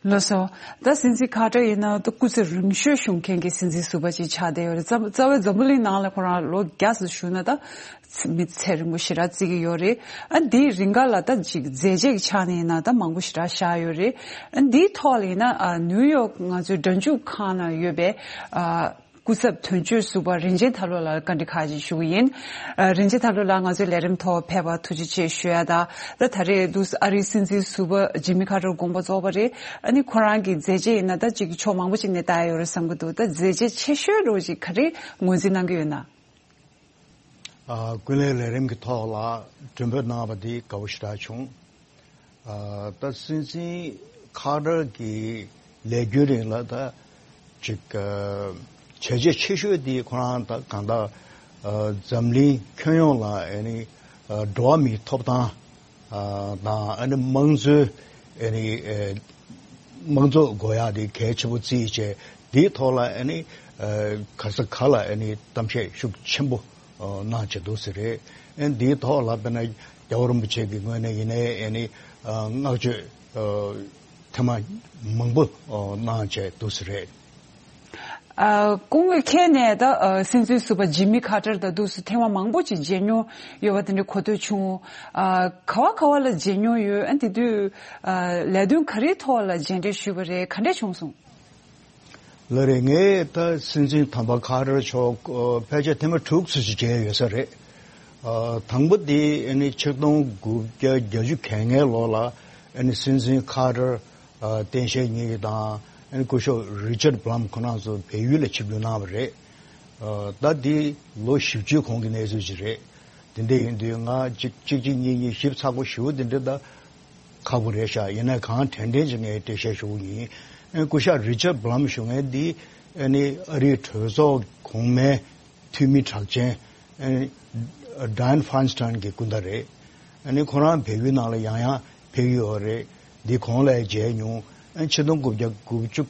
ལགས་སོ། ད་སྲིད་འཛིན་ཁ་ཏར་ཡིན་ན་ད་སྐུ་ཚེ་རིང་ཤོས་བཞུགས་མཁན་གྱི་སྲིད་འཛིན་ཟུར་པ་ཅིག་ཆགས་བསྡད་ཡོད་རེད། རྩ་རྩ་བའི་འཛམ་བུ་གླིང་ནང་ལ་ཁོ་རང་ལོ་བརྒྱ་ཙམ་བཞུགས་ན་ད་མི་ཚེ་རིང་པོ་ཞེ་དྲག་བརྩི་གི་ཡོད་རེད། ཨ་འདིའི་རིང་ག་ལ་ད་ཅིག་མཛད་རྗེས་ཀྱི་ཆ་ནས་ཡིན་ན་ད་མང་པོ་ཞེ་དྲག་བཞག་ཡོད་རེད། ཨ་འདིའི་ཐོག་ལ་ཡིན་ན་ཨ་ནིའུ་ཡོག་ང་ཚོའི་སྒྲ་འཇུག་ཁང་ནང་ཡོད་པའི་ཨ་སྐུ་ཚབ་དོན་གཅོད་ཟུར་པ་རིན་ཆེན་དར་ལོ་ལགས་བཀའ་འདྲི་ཁག་ཅིག་ཞུ་གི་ཡིན། ཨ་རིན་ཆེན་དར་ལོ་ལགས་ང་ཚོའི་ལས་རིམ་ཐོག་ཕེབས་པར་ཐུགས་རྗེ་ཆེ་ཞུ་ཡ་དང་། ད་ད་རེས་འདུག་ཨ་རིའི་སྲིད་འཛིན་ཟུར་པ་ཇི་མི་ཁ་ཏར་དགོངས་པ་རྫོགས་པ་རེད། ཨ་ནི་ཁོ་རང་གི་མཛད་རྗེས་ཡིན་ན་ད་ཅིག་ཕྱོགས་མང་པོ་ཅིག་ནས་ལྟ་ཡ་ཡོད་རེད་བསམ་གྱི་འདུག་ད་མཛད་རྗེས་ཆེ་ཤོས་འདྲ་པོ་ཅིག་ག་རེ་ངོས་འཛིན་གནང་གི་ཡོད་ན། ཨ་ཀུན་གླེང་ལས་རིམ་གྱི་ཐོག་ལ་མགྲོན་འབོད་གནང་བ་འདི་དགའ་པོ་ཞེ་དྲག་བྱུང་། ཨ་ད་སྲིད་འཛིན་ཁ་ཏར་གྱི་ལས་རྒྱུན་རིང་ལ་ད་ཅིག་ཨ་བྱས་རྗེས་ཆེ་ཤོས་འདི་ཁོ་རང་ད་གང་ལྟར་ཨ་འཛམ་གླིང་ཁྱོན་ཡོངས་ལ་ཨ་ནི་ཨ་འགྲོ་བ་མིའི་ཐོབ་ཐང་ཨ་དང་ཨ་ནི་དམངས་གཙོའི་ཨ་ནི་ཨ་དམངས་གཙོ་དགོས་ཡག་དེ་གལ་ཆེན་པོ་བརྩིས་བྱས། དེའི་ཐོག་ལ་ཨ་ནི་ཨ་ག་ས་ག་ལ་ཨ་ནི་གཏམ་བཤད་ཤུགས་ཆེན་པོ་ཨ་གནང་བྱས་འདུག་ཟེར་རེད། ཨ་ནི་དེའི་ཐོག་ལ་དཔེར་ན་རྒྱལ་བ་རིན་པོ་ཆེ་གི་ངོས་ནས་ཡིན་ནའི་ཨ་ནི་ཨ་བསྔགས་བརྗོད་ཨ་ཐེངས་མ་མང་པོ་ཨ་གནང་བྱས་འདུག་ཟེར་རེད། ཨ་སྐུ་ངོ་མཁྱེན་ནས་ད་ཨ་སྲིད་འཛིན་ཟུར་པ་ཇི་མི་ཁ་ཏར་དང་འདུག་སེ་ཐེངས་མ་མང་པོ་ཅིག་མཇལ་མྱོང་ཡོད་པ་དེ་འདྲ་གོ་ཐོས་བྱུང་། ཨ་ག་བ་ག་བ་ལ་མཇལ་མྱོང་ཡོད། ཨ་དེ་དུས་ཨ་ལས་དོན་ག་རེའི་ཐོག་ལ་མཇལ་འཕྲད་ཞུས་པ་རེད། ག་འདྲས་བྱུང་སོང་། ལགས་རེད། ངས་ད་སྲིད་འཛིན་དམ་པ་ཁ་ཏར་མཆོག་ཨ་ཕལ་ཆེར་ཐེངས་མ་དྲུག་ཙམ་ཞིག་མཇལ་ཡོད་ས་རེད། ཨ་དང་པོ་དེ་ཨ་ནི་ཆིག་སྟོང་དགུ་བརྒྱ་བརྒྱད་ཅུ་གྱ་ལྔའི་ལོ་ལ་ཨ་ནི་སྲིད་འཛིན་ཁ་ཏར་ཨ་སྟངས་དཔྱལ་གཉིས་དང་ཨ་ནི་སྐུ་ཞབས་རི་ཅར་བྷ་ལམ་ཁོ་རང་ཚོ་བལ་ཡུལ་ལ་ཆིབས་བསྒྱུར་གནང་བ་རེད། ཨ་ད་དེ་ལོ་བཞི་བཅུའི་གོང་གི་གནས་ཚུལ་ཅིག་རེད། དེ་འདྲ་ཡིན་དུས་ང་གཅིག་གཅིག་གཅིག་གཉིས་གཉིས་ཞིབ་ཚགས་པོ་ཞེ་པོ་དེ་འདྲ་ད་ཁག་པོ་རེད་ཤག་ཡིན་ན་གང་དྲན་དྲན་ཅིག་ངས་འགྲེལ་བཤད་ཞུ་གི་ཡིན། ཨ་སྐུ་ཞབས་རི་ཅར་བྷ་ལམ་ཞུ་མཁན་འདི་ཨ་ནི་ཨ་རིའི་གྲོས་ཚོགས་གོང་མའི་འཐུས་མི་གྲགས་ཅན་ཨ་ནི་ཌ་ཡན་ཕན་སི་ཊན་གྱི་སྐུ་ཟླ་རེད། ཨ་ནི་ཁོ་རང་བལ་ཡུལ་ནང་ལ་ཡང་ཡང་ཕེབས་ཡོད་རེད། འདི་གོང་ལ་མཇལ་མྱོང་། ཨ་ཆིག་སྟོང་དགུ་བརྒྱ་དགུ་བཅུ་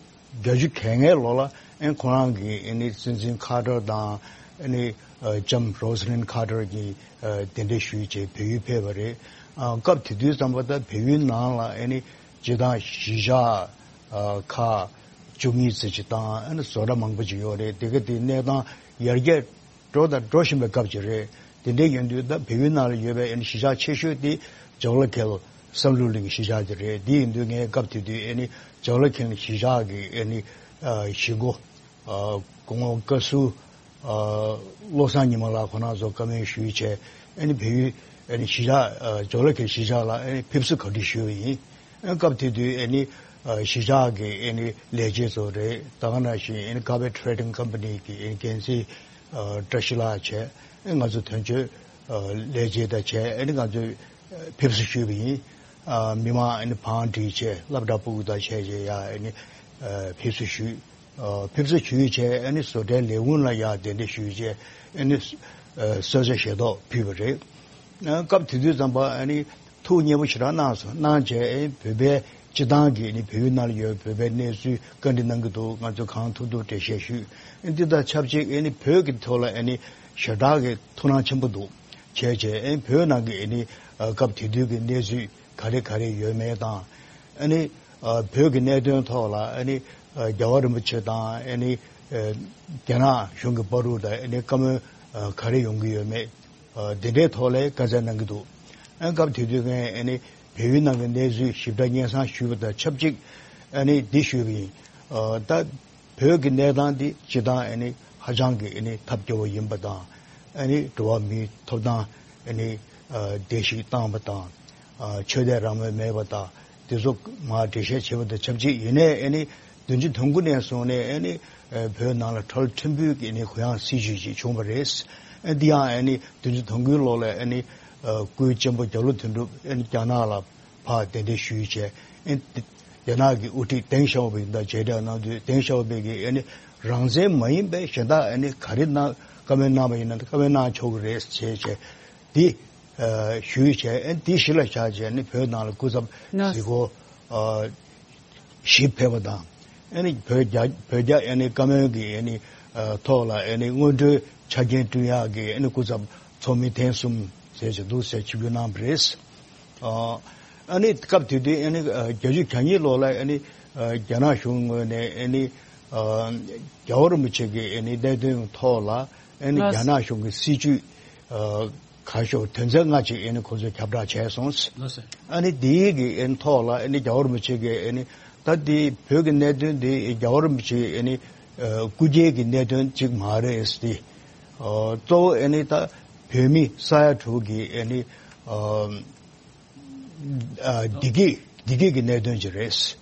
བརྒྱད་ཅུ་གྱ་ལྔའི་ལོ་ལ་ཨ་ཁོ་རང་གིས་ཨ་ནི་སྲིད་འཛིན་ཁ་ཏར་དང་ཨ་ནི་ཨ་ལྕམ་རོ་ས་ལིན་ཁ་ཏར་གྱིས་ཨ་གདན་འདྲེན་ཞུས་བྱས་བལ་ཡུལ་ཕེབས་པ་རེད། ཨ་སྐབས་དེ་དུས་ཙམ་པ་ད་བལ་ཡུལ་ནང་ལ་ཨ་ནི་སྤྱིར་བཏང་གཞིས་ཆགས་ཨ་ཁག་བཅུ་གཉིས་ཙམ་ཅིག་དང་ཨ་ནི་བཟོ་གྲྭ་མང་པོ་ཅིག་ཡོད་རེད། དེ་ག་དེ་གནས་སྟངས་ཡར་རྒྱས་འགྲོ་དང་འགྲོ་བཞིན་པའི་སྐབས་ཅིག་རེད། དེ་འདྲའི་ཡིན་དུས་ད་བལ་ཡུལ་ནང་ལ་ཡོད་པའི་ཨ་ནི་གཞིས་ཆགས་ཆེ་ཤོས་དེ་ཇོ་ལ་ཁེལ་བསམ་གྲུབ་གླིང་གི་གཞིས་ཆགས་དེ་རེད། དེ་ཡིན་དུས་ངས་སྐབས་དེ་དུས་ཨ་ནི་ཇོ་ལ་ཁེལ་གཞིས་ཆགས་ཀྱི་ཨ་ནི་ཨ་གཞིས་འགོ་ཨ་སྐུ་ངོ་བཀའ་ཟུར་ཨ་བློ་བཟང་ཉི་མ་ལགས་ཁོ་རང་ཚོ་བཀའ་མོལ་ཞུས་བྱས་ཨ་ནི་བལ་ཡུལ་ཨ་ནི་གཞིས་ཆགས་ཨ་ཇོ་ལ་ཁེལ་གཞིས་ཆགས་ལ་ཨ་ནི་ཕེབས་བསུ་གོ་སྒྲིག་ཞུས་པ་ཡིན། ཨ་སྐབས་དེ་དུས་ཨ་ནི་ཨ་གཞིས་ཆགས་ཀྱི་ཨ་ནི་ལས་བྱེད་ཚོ་རེད། ད་ག་ནང་བཞིན་ཨ་ནི་ཀ་བེ་ཊི་རེ་ཌིང་ཀམ་པ་ནི་གི་ཨ་ནི་འགན་འཛིན་ཨ་བཀྲ་ཤིས་ལགས་བྱས། ཨ་ང་ཚོ་དོན་གཅོད་ཨ་ལས་བྱེད་དང་བྱས་ཨ་ནི་ང་ཚོས་ཨ་ཕེབས་བསུ་ཞུས་པ་ཡིན། ཨ་མི་མང་ཨ་ནི་བང་སྒྲིག་བྱས་སློབ་གྲྭ་ཕྲུ་གུ་དང་བྱས་བྱས་ཡ་ཨ་ནི་ཨ་ཕེབས་བསུ་ཞུས། ཨ་ཕེབས་བསུ་ཞུས་བྱས་ཨ་ནི་བཟོ་གྲྭའི་ལས་ཁུངས་ལ་ཡ་གདན་འདྲེན་ཞུས་བྱས་ཨ་ནི་ཨ་གསོལ་ཇ་ཞལ་ཏོག་ཕུལ་བ་རེད། ཨ་སྐབས་དེ་དུས་ཙམ་པ་ཨ་ནི་ཐུགས་མཉེས་པོ་ཞེ་དྲག་གནང་སོང་། གནང་བྱས་ཨ་ནི་བོད་པའི་ སྤྱི་བཏང་གི་ཨ་ནི་བལ་ཡུལ་ནང་ལ་ཡོད་བོད་པའི་གནས་ཚུལ་བཀའ་འདྲི་གནང་གི་འདུག་ང་ཚོས་གང་ཐུབ་ཐུབ་འགྲེལ་བཤད་ཞུས། ཨ་ནི་འདི་དང་ཆབས་ཅིག་ཨ་ནི་བོད་ཀྱི་ཐོག་ལ་ཨ་ནི་ཞེ་དྲག་གི་ཐུགས་སྣང་ཆེན་པོ་འདུག་བྱས་བྱས་ཨ་ནི་བོད་ནང་གི་ཨ་ནི་ཨ་སྐབས་དེ་དུས་ཀྱི་གནས་ཚུལ་ག་རེ་ག་རེ་ཡོད་མེད་དང་། ཨ་ནི་ཨ་བོད་ཀྱི་གནད་དོན་ཐོག་ལ་ཨ་ནི་ཨ་རྒྱལ་བ་རིན་པོ་ཆེ་དང་ཨ་ནི་ཨ་རྒྱ་ནག་གཞུང་གི་བར་དུ་དང་ཨ་ནི་བཀའ་མོལ་ཨ་ག་རེ་ཡོང་གི་ཡོད་མེད། ཨ་འདི་འདྲའི་ཐོག་ལ་བཀའ་སྩལ་གནང་གི་འདུག་ཨ་སྐབས་དེ་དུས་ངས་ཨ་ནི་བལ་ཡུལ་ནང་གི་གནས་ཚུལ་ཞིབ་ཕྲ་སྙན་སེང་ཞུས་པ་དང་ཆབས་ཅིག་ཨ་ནི་འདི་ཞུས་པ་ཡིན། ཨ་ད་བོད་ཀྱི་གནས་སྟངས་འདི་སྤྱི་བཏང་ཨ་ནི་ཧ་ཅང་གི་ཨ་ནི་ཐབས་སྐྱོ་བོ་ཡིན་པ་དང་། ཨ་ནི་འགྲོ་བ་མིའི་ཐོབ་ཐང་ཨ་ནི་ཨ་བརྡལ་བཤིག་བཏང་བ་དང་། ཨ་ཆོས་དད་རང་མོས་མེད་པ་དང་། དེ་ཚོ་མར་འགྲེལ་བཤད་བྱས་པ་དང་ཆབས་ཅིག་ཡིན་ནའི་ཨ་ནི་བདུན་ཅུ་དོན་དགུ་ནས་བཟུང་ནས་ཨ་ནི་ཨ་བོད་ནང་ལ་ཁྲལ་ཕྲན་བུ་གི་ཨ་ནི་གུ་ཡངས་སྲིད་བྱུས་ཤིག་བྱུང་བ་རེད། ཨ་འདི་ཡང་ཨ་ནི་བདུན་ཅུ་དོན་དགུའི་ལོ་ལ་ཨ་ནི་ཨ་སྐུའི་གཅེན་པོ་རྒྱ་ལོ་དོན་གྲུབ་ཨ་ནི་རྒྱ་ནག་ལ་ཕར་གདན་འདྲེན་ཞུས་བྱས། ཨ་ནི་རྒྱ་ནག་གི་དབུ་ཁྲིད་ཏེང་ཞའོ་ཕིང་དང་མཇལ་འཕྲད་གནང་དུས་ཏེང་ཞའོ་ཕིང་གིས་ཨ་ནི་རང་བཙན་མ་ཡིན་པའི་གཞན་དག་ཨ་ནི་ག་རེ་གནང་བཀའ་མོལ་གནང་བ་ཡིན་ན་བཀའ་མོལ་གནང་ཆོག་གི་རེད་ཅེས་བྱས། འདི་ཨ་ཞུས་བྱས། ཨ་ནི་འདི་གཞི་ལ་བཞག་བྱས་ཨ་ནི་བོད་ནང་ལ་སྐུ་ཚབ་ནོ། གཟིགས་སྐོར་ཨ་བཞི་ཕེབས་པ་དང་། ཨ་ནི་བོད་རྒྱ་བོད་རྒྱ་ཨ་ནི་བཀའ་མོལ་གྱི་ཨ་ནི་ཨ་ཐོག་ལ་ཨ་ནི་སྔོན་འགྲོའི་ཆ་རྐྱེན་བསྐྲུན་ཡག་གི་ཨ་ནི་སྐུ་ཚབ་ཚོགས་མི་ཐེངས་གསུམ་ཟེར་བྱས་འདུག་ཟེར་ཆིབས་བསྒྱུར་གནང་བ་རེད། ཨ་ཨ་ནི་སྐབས་དེ་དུས་ཨ་ནི་ཨ་བརྒྱད་ཅུ་གྱ་གཉིས་ལོ་ལ་ཨ་ནི་ཨ་རྒྱ་ནག་གཞུང་ངོས་ནས་ཨ་ནི་ཨ་རྒྱལ་བ་རིན་པོ་ཆེ་གི་ཨ་ནི་གནད་དོན་ཐོག་ལ་ཨ་ནི་ལགས། རྒྱ་ནག་གཞུང་གི་སྲིད་བྱུས་ཨ་ཁ་ཤོར་དོན་ཚན་ལྔ་ཅིག་ཨ་ནི་ཁོ་ཚོས་ཁྱབ་བསྒྲགས་བྱས་སོང་། ལགས་སོ། ཨ་ནི་དེའི་གི་ཨ་ནི་ཐོག་ལ་ཨ་ནི་རྒྱལ་བ་རིན་པོ་ཆེ་གི་ཨ་ནི་ད་དེ་བོད་ཀྱི་གནད་དོན་དེ་རྒྱལ་བ་རིན་པོ་ཆེ་ཨ་ནི་ཨ་སྐུ་སྒེར་གྱི་གནད་དོན་ཅིག་མ་རེད་དེ། ཨ་གཙོ་བོ་ཨ་ནི་ད་བོད་མི་ས་ཡ་དྲུག་གི་ཨ་ནི་ཨ་ཨ་བདེ་སྐྱིད་བདེ་སྐྱིད་ཀྱི་གནད་དོན་ཅིག་རེད། བྱས་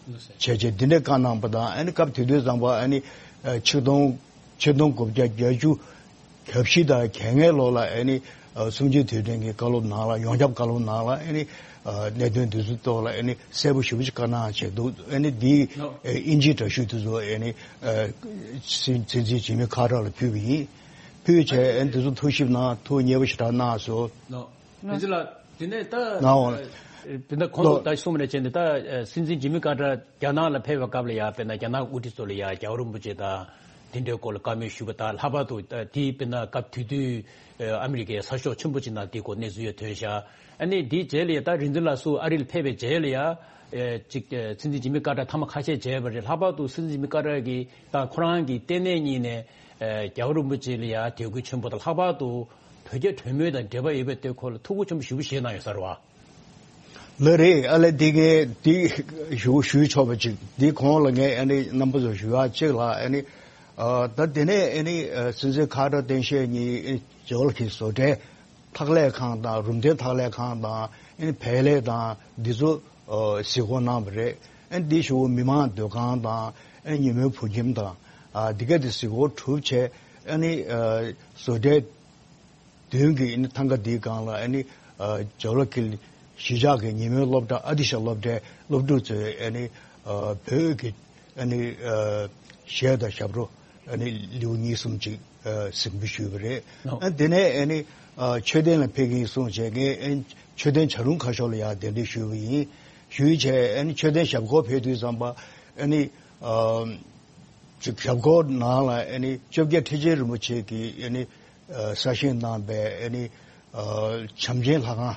རྗེས་འདི་འདྲའི་བཀའ་གནང་པ་དང་ཨ་ནི་སྐབས་དེ་དུས་ཙམ་པ་ཨ་ནི་ཨ་ཆིག་སྟོང་ཆིག་སྟོང་དགུ་བརྒྱ་བརྒྱད་ཅུ་གྱ་བཞི་དང་གྱ་ལྔའི་ལོ་ལ་ཨ་ནི་ཨ་གསུམ་བཅུའི་དུས་དྲན་གྱི་བཀའ་སློབ་ནང་ལ་ཡོངས་ཁྱབ་བཀའ་སློབ་ནང་ལ་ཨ་ནི་ཨ་གནད་དོན་འདི་ཚོའི་ཐོག་ལ་ཨ་ནི་གསལ་པོ་ཞེ་པོ་ཅིག་བཀའ་གནང་བྱས་འདུག་ཨ་ནི་འདིའི་ཨ་ཨིན་ཇིའི་འདྲ་བཤུས་དེ་ཚོ་ཨ་ནི་ཨ་སྲིད་སྲིད་འཛིན་ཇི་མི་ཁ་ཏར་ལ་ཕུལ་བ་ཡིན། ཕུལ་བྱས་ཨ་ནི་དེ་ཚོ་ཐུགས་ཞིབ་གནང་ཐུགས་མཉེས་པོ་ཞེ་དྲག་གནང་སོང་། རིན་ཆེན་ལགས། དེ་ནས་ད་ནའོ། དེ་ནས་ཁོང་ཚོ་ད་གསུངས་པ་ནས་བྱས་ནས་ད་ཨ་སྲིད་འཛིན་ཇི་མི་ཀར་ཏར་རྒྱ་ནག་ལ་ཕེབས་པའི་སྐབས་ལ་ཡ་དཔེར་ན་རྒྱ་ནག་དབུ་ཁྲིད་ཚོ་ལ་ཡ་རྒྱལ་བ་རིན་པོ་ཆེ་དང་དེ་འདྲའི་སྐོར་ལ་བཀའ་མོལ་ཞུས་པ་དང་། ལྷག་པར་དུ་ད་དེའི་དཔེར་ན་སྐབས་དེ་དུས་ཨ་མི་རི་ཀའི་གསར་ཤོག་ཆེན་པོ་ཅིག་ནང་དེའི་སྐོར་གནས་ཚུལ་ཡང་ཐོན་ཤག་ཨ་ནི་དེའི་རྗེས་ལ་ཡ་ད་རིག་འཛིན་ལགས་སུ་ཨ་རི་ལ་ཕེབས་པའི་རྗེས་ལ་ཡ་ཨེ་ཅིག་ཨེ་སྲིད་འཛིན་ཇི་མི་ཀར་ཏར་ཐེངས་མ་ཁ་ཤས་མཇལ་བ་རེད། ལྷག་པར་དུ་སྲིད་འཛིན་ཇི་མི་ཀར་ཏར་གྱིས་ད་ཁོ་རང་གི་ལྟེ་གནས་གཉིས་ནས་ཨེ་རྒྱལ་བ་རིན་པོ་ཆེ་ལ་ཡ་དད་གུས་ཆེན་པོ་དང་། ལྷག་པར་དུ་བོད་རྒྱ་གྲོས་མོལ་དང་འབྲེལ་བ་ཡོད་པའི་སྟེང་ཁོ་ལ་ཐུགས་ཁུར་ཆེན་པོ་ཞེ་པོ་བཞེས་གནང་ཡོད་ས་རེད་བ། ལགས་རེད། ཨ་ལས་འདི་གའི་འདི་ཞུ་ཞུ་ཆོག་པ་ཅིག་འདི་གོང་ལ་ངས་ཨ་ནི་རྣམ་པ་ཚོ་ཞུ་ཡག་ཅིག་ལ་ཨ་ནི་ཨ་ད་དེ་ནས་ཨ་ནི་ཨ་སྲིད་འཛིན་ཁ་ཏར་སྟངས་དཔྱལ་གཉིས་ཨ་ནི་ཇོ་ལ་གི་བཟོ་གྲྭའི་འཐག་ལས་ཁང་དང་རུམ་གདན་འཐག་ལས་ཁང་དང་ཨ་ནི་བལ་ལས་དང་འདི་ཚོ་ཨ་གཟིགས་སྐོར་གནང་བ་རེད། ཨ་ནི་འདི་ཞུ་མི་མང་སྡོད་ཁང་དང་ཨ་ནི་ཉིན་མོའི་བོད་ཁྱིམ་དང་ཨ་འདི་ག་དེ་གཟིགས་སྐོར་གྲུབ་བྱས། ཨ་ནི་ཨ་བཟོ་གྲྭའི་མདུན་གྱི་ཨ་ནི་ཐང་ག་འདིའི་སྒང་ལ་ཨ་ནི་ཨ་ཇོ་ལ་གིལ་གཞིས་ཆགས་ཀྱི་ཉིན་མོའི་སློབ་གྲྭ་ཨ་ཏི་ཤ་སློབ་གྲྭའི་སློབ་ཕྲུག་ཚོས་ཨ་ནི་ཨ་བོད་ཀྱི་ཨ་ནི་ཨ་གཞས་དང་ཞབས་བྲོ་ཨ་ནི་ལེའུ་གཉིས་གསུམ་ཅིག་ཨ་གཟིགས་འབུལ་ཞུས་པ་རེད། ཨ་དེ་ནས་ཨ་ནི་ཨ་མཆོད་རྟེན་ལ་ཕེབས་ཀྱིན་གསུངས་བྱས། ངས་ཨ་ནི་མཆོད་རྟེན་བྱ་རུང་ཁ་ཤོར་ལ་ཡང་གདན་འདྲེན་ཞུས་པ་ཡིན། ཞུས་བྱས་ཨ་ནི་མཆོད་རྟེན་ཞབས་སྐོར་ཕེབས་དུས་ཙམ་པ་ཨ་ནི་ཨ་ཅིག་ཞབས་སྐོར་ནང་ལ་ཨ་ནི་བཅོ་བརྒྱད་ཁྲི་ཆེན་རིན་པོ་ཆེ་གིས་ཨ་ནི་ཨ་གསར་བཞེངས་གནང་པའི་ཨ་ནི་ཨ་བྱམས་ཆེན་ལྷ་ཁང་།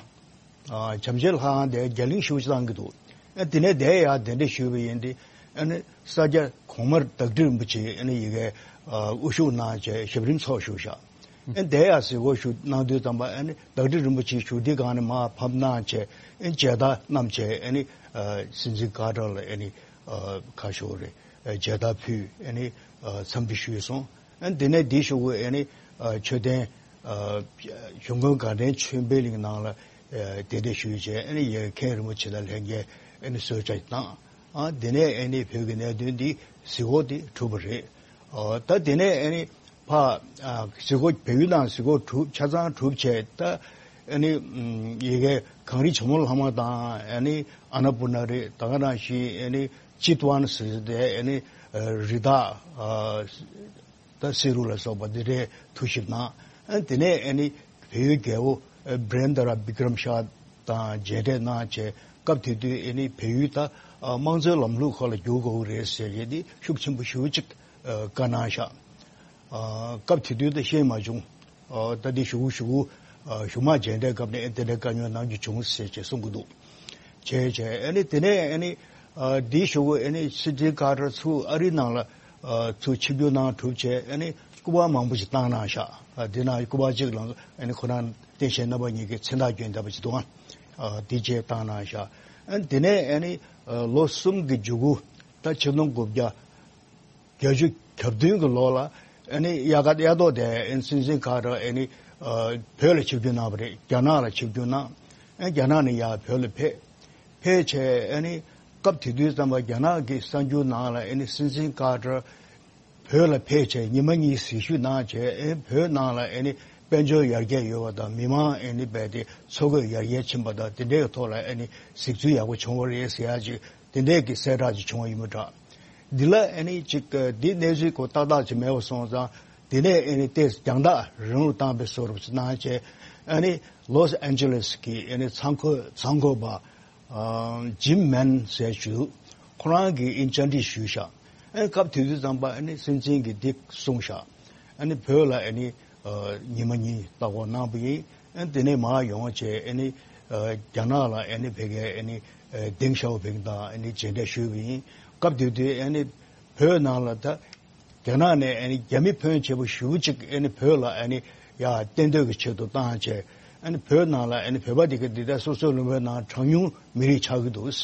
ཨ་བྱམས་ཆེན་ལྷ་ཁང་དེ་རྒྱ་གླིང་ཞེ་པོ་ཅིག་བཏང་གི་འདུག་ཨ་དེ་ནས་དེ་ཡར་གདན་འདྲེན་ཞུས་པ་ཡིན་ཏེ། ཨ་ནི་ས་སྐྱ་གོང་མ་བདག་ཁྲི་རིན་པོ་ཆེ་ཨ་ནི་ཡ་གིར་ཨ་དབུ་བཞུགས་གནང་བྱས་ཞབས་རིམ་ཚོགས་བཞུགས་ཤག་ཨ་ནི་དེ་ཡར་གཟིགས་སྐོར་ཞུ་གནང་དུས་ཙམ་པ་ཨ་ནི་བདག་ཁྲི་རིན་པོ་ཆེ་བཞུགས་ཁྲིའི་སྒང་ནས་མར་ཕབ་གནང་བྱས། ཨ་ནི་མཇལ་དར་བསྣམས་བྱས་ཨ་ནི་ཨ་སྲིད་འཛིན་ཀར་ཏར་ལ་ཨ་ནི་ཨ་ཁ་ཤོར་རེད། ཨ་མཇལ་དར་ཕུལ། ཨ་ནི་ཨ་འཚམས་འདྲི་ཞུས་སོང་། ཨ་ནི་དེ་ནས་འདི་ཞུ་དགོས། ཨ་ནི་ཨ་མཆོད་རྟེན་ཨ་གཞུང་དགོན་དགའ་ལྡན་ཆོས་འཕེལ་གླིང་ནང་ལ་ཨ་གདན་འདྲེན་ཞུས་བྱས། ཨ་ནི་ཡ་གིར་མཁན་རིན་པོ་ཆེ་དང་ལྷན་རྒྱས་ཨ་ནི་གསོལ་ཇ་བཏང་། ཨ་དེ་ནས་ཨ་ནི་བོད་ཀྱི་གནད་དོན་འདི་གཟིགས་སྐོར་འདི་གྲུབ་པ་རེད། ཨ་ད་དེ་ནས་ཨ་ནི་ཕར་ཨ་གཟིགས་སྐོར་བལ་ཡུལ་ནང་གཟིགས་སྐོར་གྲུབ་ཆ་ཚང་གྲུབ་བྱས། ད་ཨ་ནི་ཨམ་ཡ་གིར་གངས་རི་ཇོ་མོ་གླང་མ་དང་། ཨ་ནི་ཨ་ན་པུར་ན་རེད། ད་ག་ནང་བཞིན་ཨ་ནི་ཅི་ཏུའན་ཟེར་དེ་ཨ་ནི་ཨ་རི་དྭགས་ཨ་ད་བསེ་རུ་ལ་སོགས་པ་འདི་འདྲའི་ཐུགས་ཞིབ་གནང་། ཨ་དེ་ནས་ཨ་ནི་བལ་ཡུལ་རྒྱལ་པོ་ཨ་བྷི་རེན་དྲ་བི་ཀྲམ་ཤ་དང་མཇལ་འཕྲད་གནང་བྱས། སྐབས་དེ་དུས་ཨེ་ནི་བལ་ཡུལ་ད་དམངས་གཙོའི་ལམ་ལུགས་ཁག་ལ་བསྒྱུར་དགོས་ཀྱི་རེད་ཟེར་ཡས་དེ་ཤུགས་ཆེན་པོ་ཞེ་པོ་ཅིག་བཀའ་གནང་ཤག་སྐབས་དེ་དུས་ད་ཤེས་མ་བྱུང་། ད་འདི་ཞུ་གུ་ཞུ་གུ་ཞུ་མ་བྱས་འདྲའི་སྐབས་ནས་ཨེ་དེ་འདྲའི་བཀའ་ཉོན་གནང་རྒྱུ་བྱུང་ཟེར་བྱས་གསུང་གི་འདུག་བྱས་བྱས་ཨེ་ནི་དེ་ནས་ཨེ་ནི་འདི་ཞུ་གུ་ཨེ་ནི་སྲིད་འཛིན་ཀར་ཏར་ཚུར་ཨ་རིའི་ནང་ལ་ཚུར་ཆིབས་བསྒྱུར་གནང་གྲུབ་བྱས་ཨེ་ནི་སྐུ་པར་མང་པོ་ཞིག་བཏང་གནང་ཤག་འདི་ནང་སྐུ་པར་གཅིག་ལ་ཨེ་ནི་ཁོ་རང་བསྟན་ཆེན་རྣམ་པ་གཉིས་ཀྱི་མཚན་རྟགས་བསྐྱོན་བསྡད་པ་ཅིག་འདུག་ཨ། འདི་བཅས་བཏང་གནང་ཤག་ཨེ་ནི་དེ་ནས་ཨེ་ནི་ལོ་གསུམ་གྱི་མཇུག་གུ་ད་ཆིག་སྟོང་དགུ་བརྒྱ་བརྒྱད་ཅུ་གྱ་བདུན་གྱི་ལོ་ལ་ཨེ་ནི་དབྱར་ཁ་དབྱར་ཐོག་དེ་ཨེ་ནི་སྲིད་འཛིན་ཁ་ཏར་ཨེ་ནི་བོད་ལ་ཆིབས་བསྒྱུར་གནང་བ་རེད། རྒྱ་ནག་ལ་ཆིབས་བསྒྱུར་གནང་། ཨེ་རྒྱ་ནག་ནས་ཡར་བོད་ལ་ཕེབས། ཕེབས་བྱས་ཨེ་ནི་སྐབས་དེ་དུས་ཙམ་པ་རྒྱ་ནག་གི་གསར་འགྱུར་ནང་ལ་ཨེ་ནི་སྲིད་འཛིན་ཁ་ཏར་བོད་ལ་ཕེབས་བྱས་ཉི་མ་གཉིས་གཟིགས་ཞིབ་གནང་བྱས་ཨེ་བོད་ནང་ལ་ཨེ་ནི་དཔལ་འབྱོར་ཡར་རྒྱས་ཡོད་པ་དང་མི་མང་ཨེ་ནི་རྦད་དེ་འཚོ་གོས་ཡར་རྒྱས་ཕྱིན་པ་དང་དེ་འདྲའི་ཐོག་ལ་ཨེ་ནི་གཟིགས་ཚུལ་ཡག་པོ་བྱུང་བ་རེད་ཟེར་ཡག་ཅིག་དེ་འདྲའི་གི་གསལ་བསྒྲགས་ཅིག་བྱུང་བ་ཡིན་པ་འདྲ། འདི་ལ་ཨེ་ནི་ཅིག་འདི་གནས་ཚུལ་གོ་ཏག་ཏག་ཅིག་མེད་པ་སོང་ཙང་དེ་ནས་ཨེ་ནི་ཏོག་ཙམ་རྒྱང་ཐག་རིང་རུ་བཏང་བའི་བཟོ་འདྲ་ཅིག་གནང་བྱས་ཨེ་ནི་ལོས་ཨན་ཇེ་ལེས་ཀྱི་ཨེ་ནི་ཚང་ཁོ་ཚང་ཁོ་པ། ཨ་ཇིམ་མན་ཟེར་ཞུ། ཁོ་རང་གིས་ཨིན་བཅར་འདྲི་ཞུས་ཤག་ཨེ་སྐབས་དེ་དུས་ཙམ་པ་ཨེ་ནི་སྲིད་འཛིན་གྱིས་འདི་གསུངས་ཤག་ཨེ་ནི་བོད་ལ་ཨེ་ནི་ཨ་ཉི་མ་གཉིས་ལྟ་སྐོར་གནང་བ་ཡིན། ཨེ་དེ་ནས་མར་ཡོང་བྱས་ཨེ་ནི་ཨ་རྒྱ་ནག་ལ་ཨེ་ནི་ཕ་གིར་ཨེ་ནི་ཨ་ཏེང་ཞའོ་ཕིང་དང་ཨེ་ནི་མཇལ་འཕྲད་ཞུས་པ་ཡིན། སྐབས་དེ་དུས་ཨེ་ནི་བོད་ནང་ལ་ད་རྒྱ་ནག་ནས་ཨ་ནི་རྒྱ་མི་ཕོན་ཆེ་པོ་ཞེ་པོ་ཅིག་ཨ་ནི་བོད་ལ་ཨ་ནི་ཡར་གཏན་སྡོད་ཀྱི་ཆེད་དུ་བཏང་བྱས་ཨ་ནི་བོད་ནང་ལ་ཨ་ནི་བོད་པ་དེ་ག་འདི་ལྟར་སོ་སོའི་ལུང་པའི་ནང་གྲངས་ཉུང་མི་རིགས་ཆགས་ཀྱི་འདུག་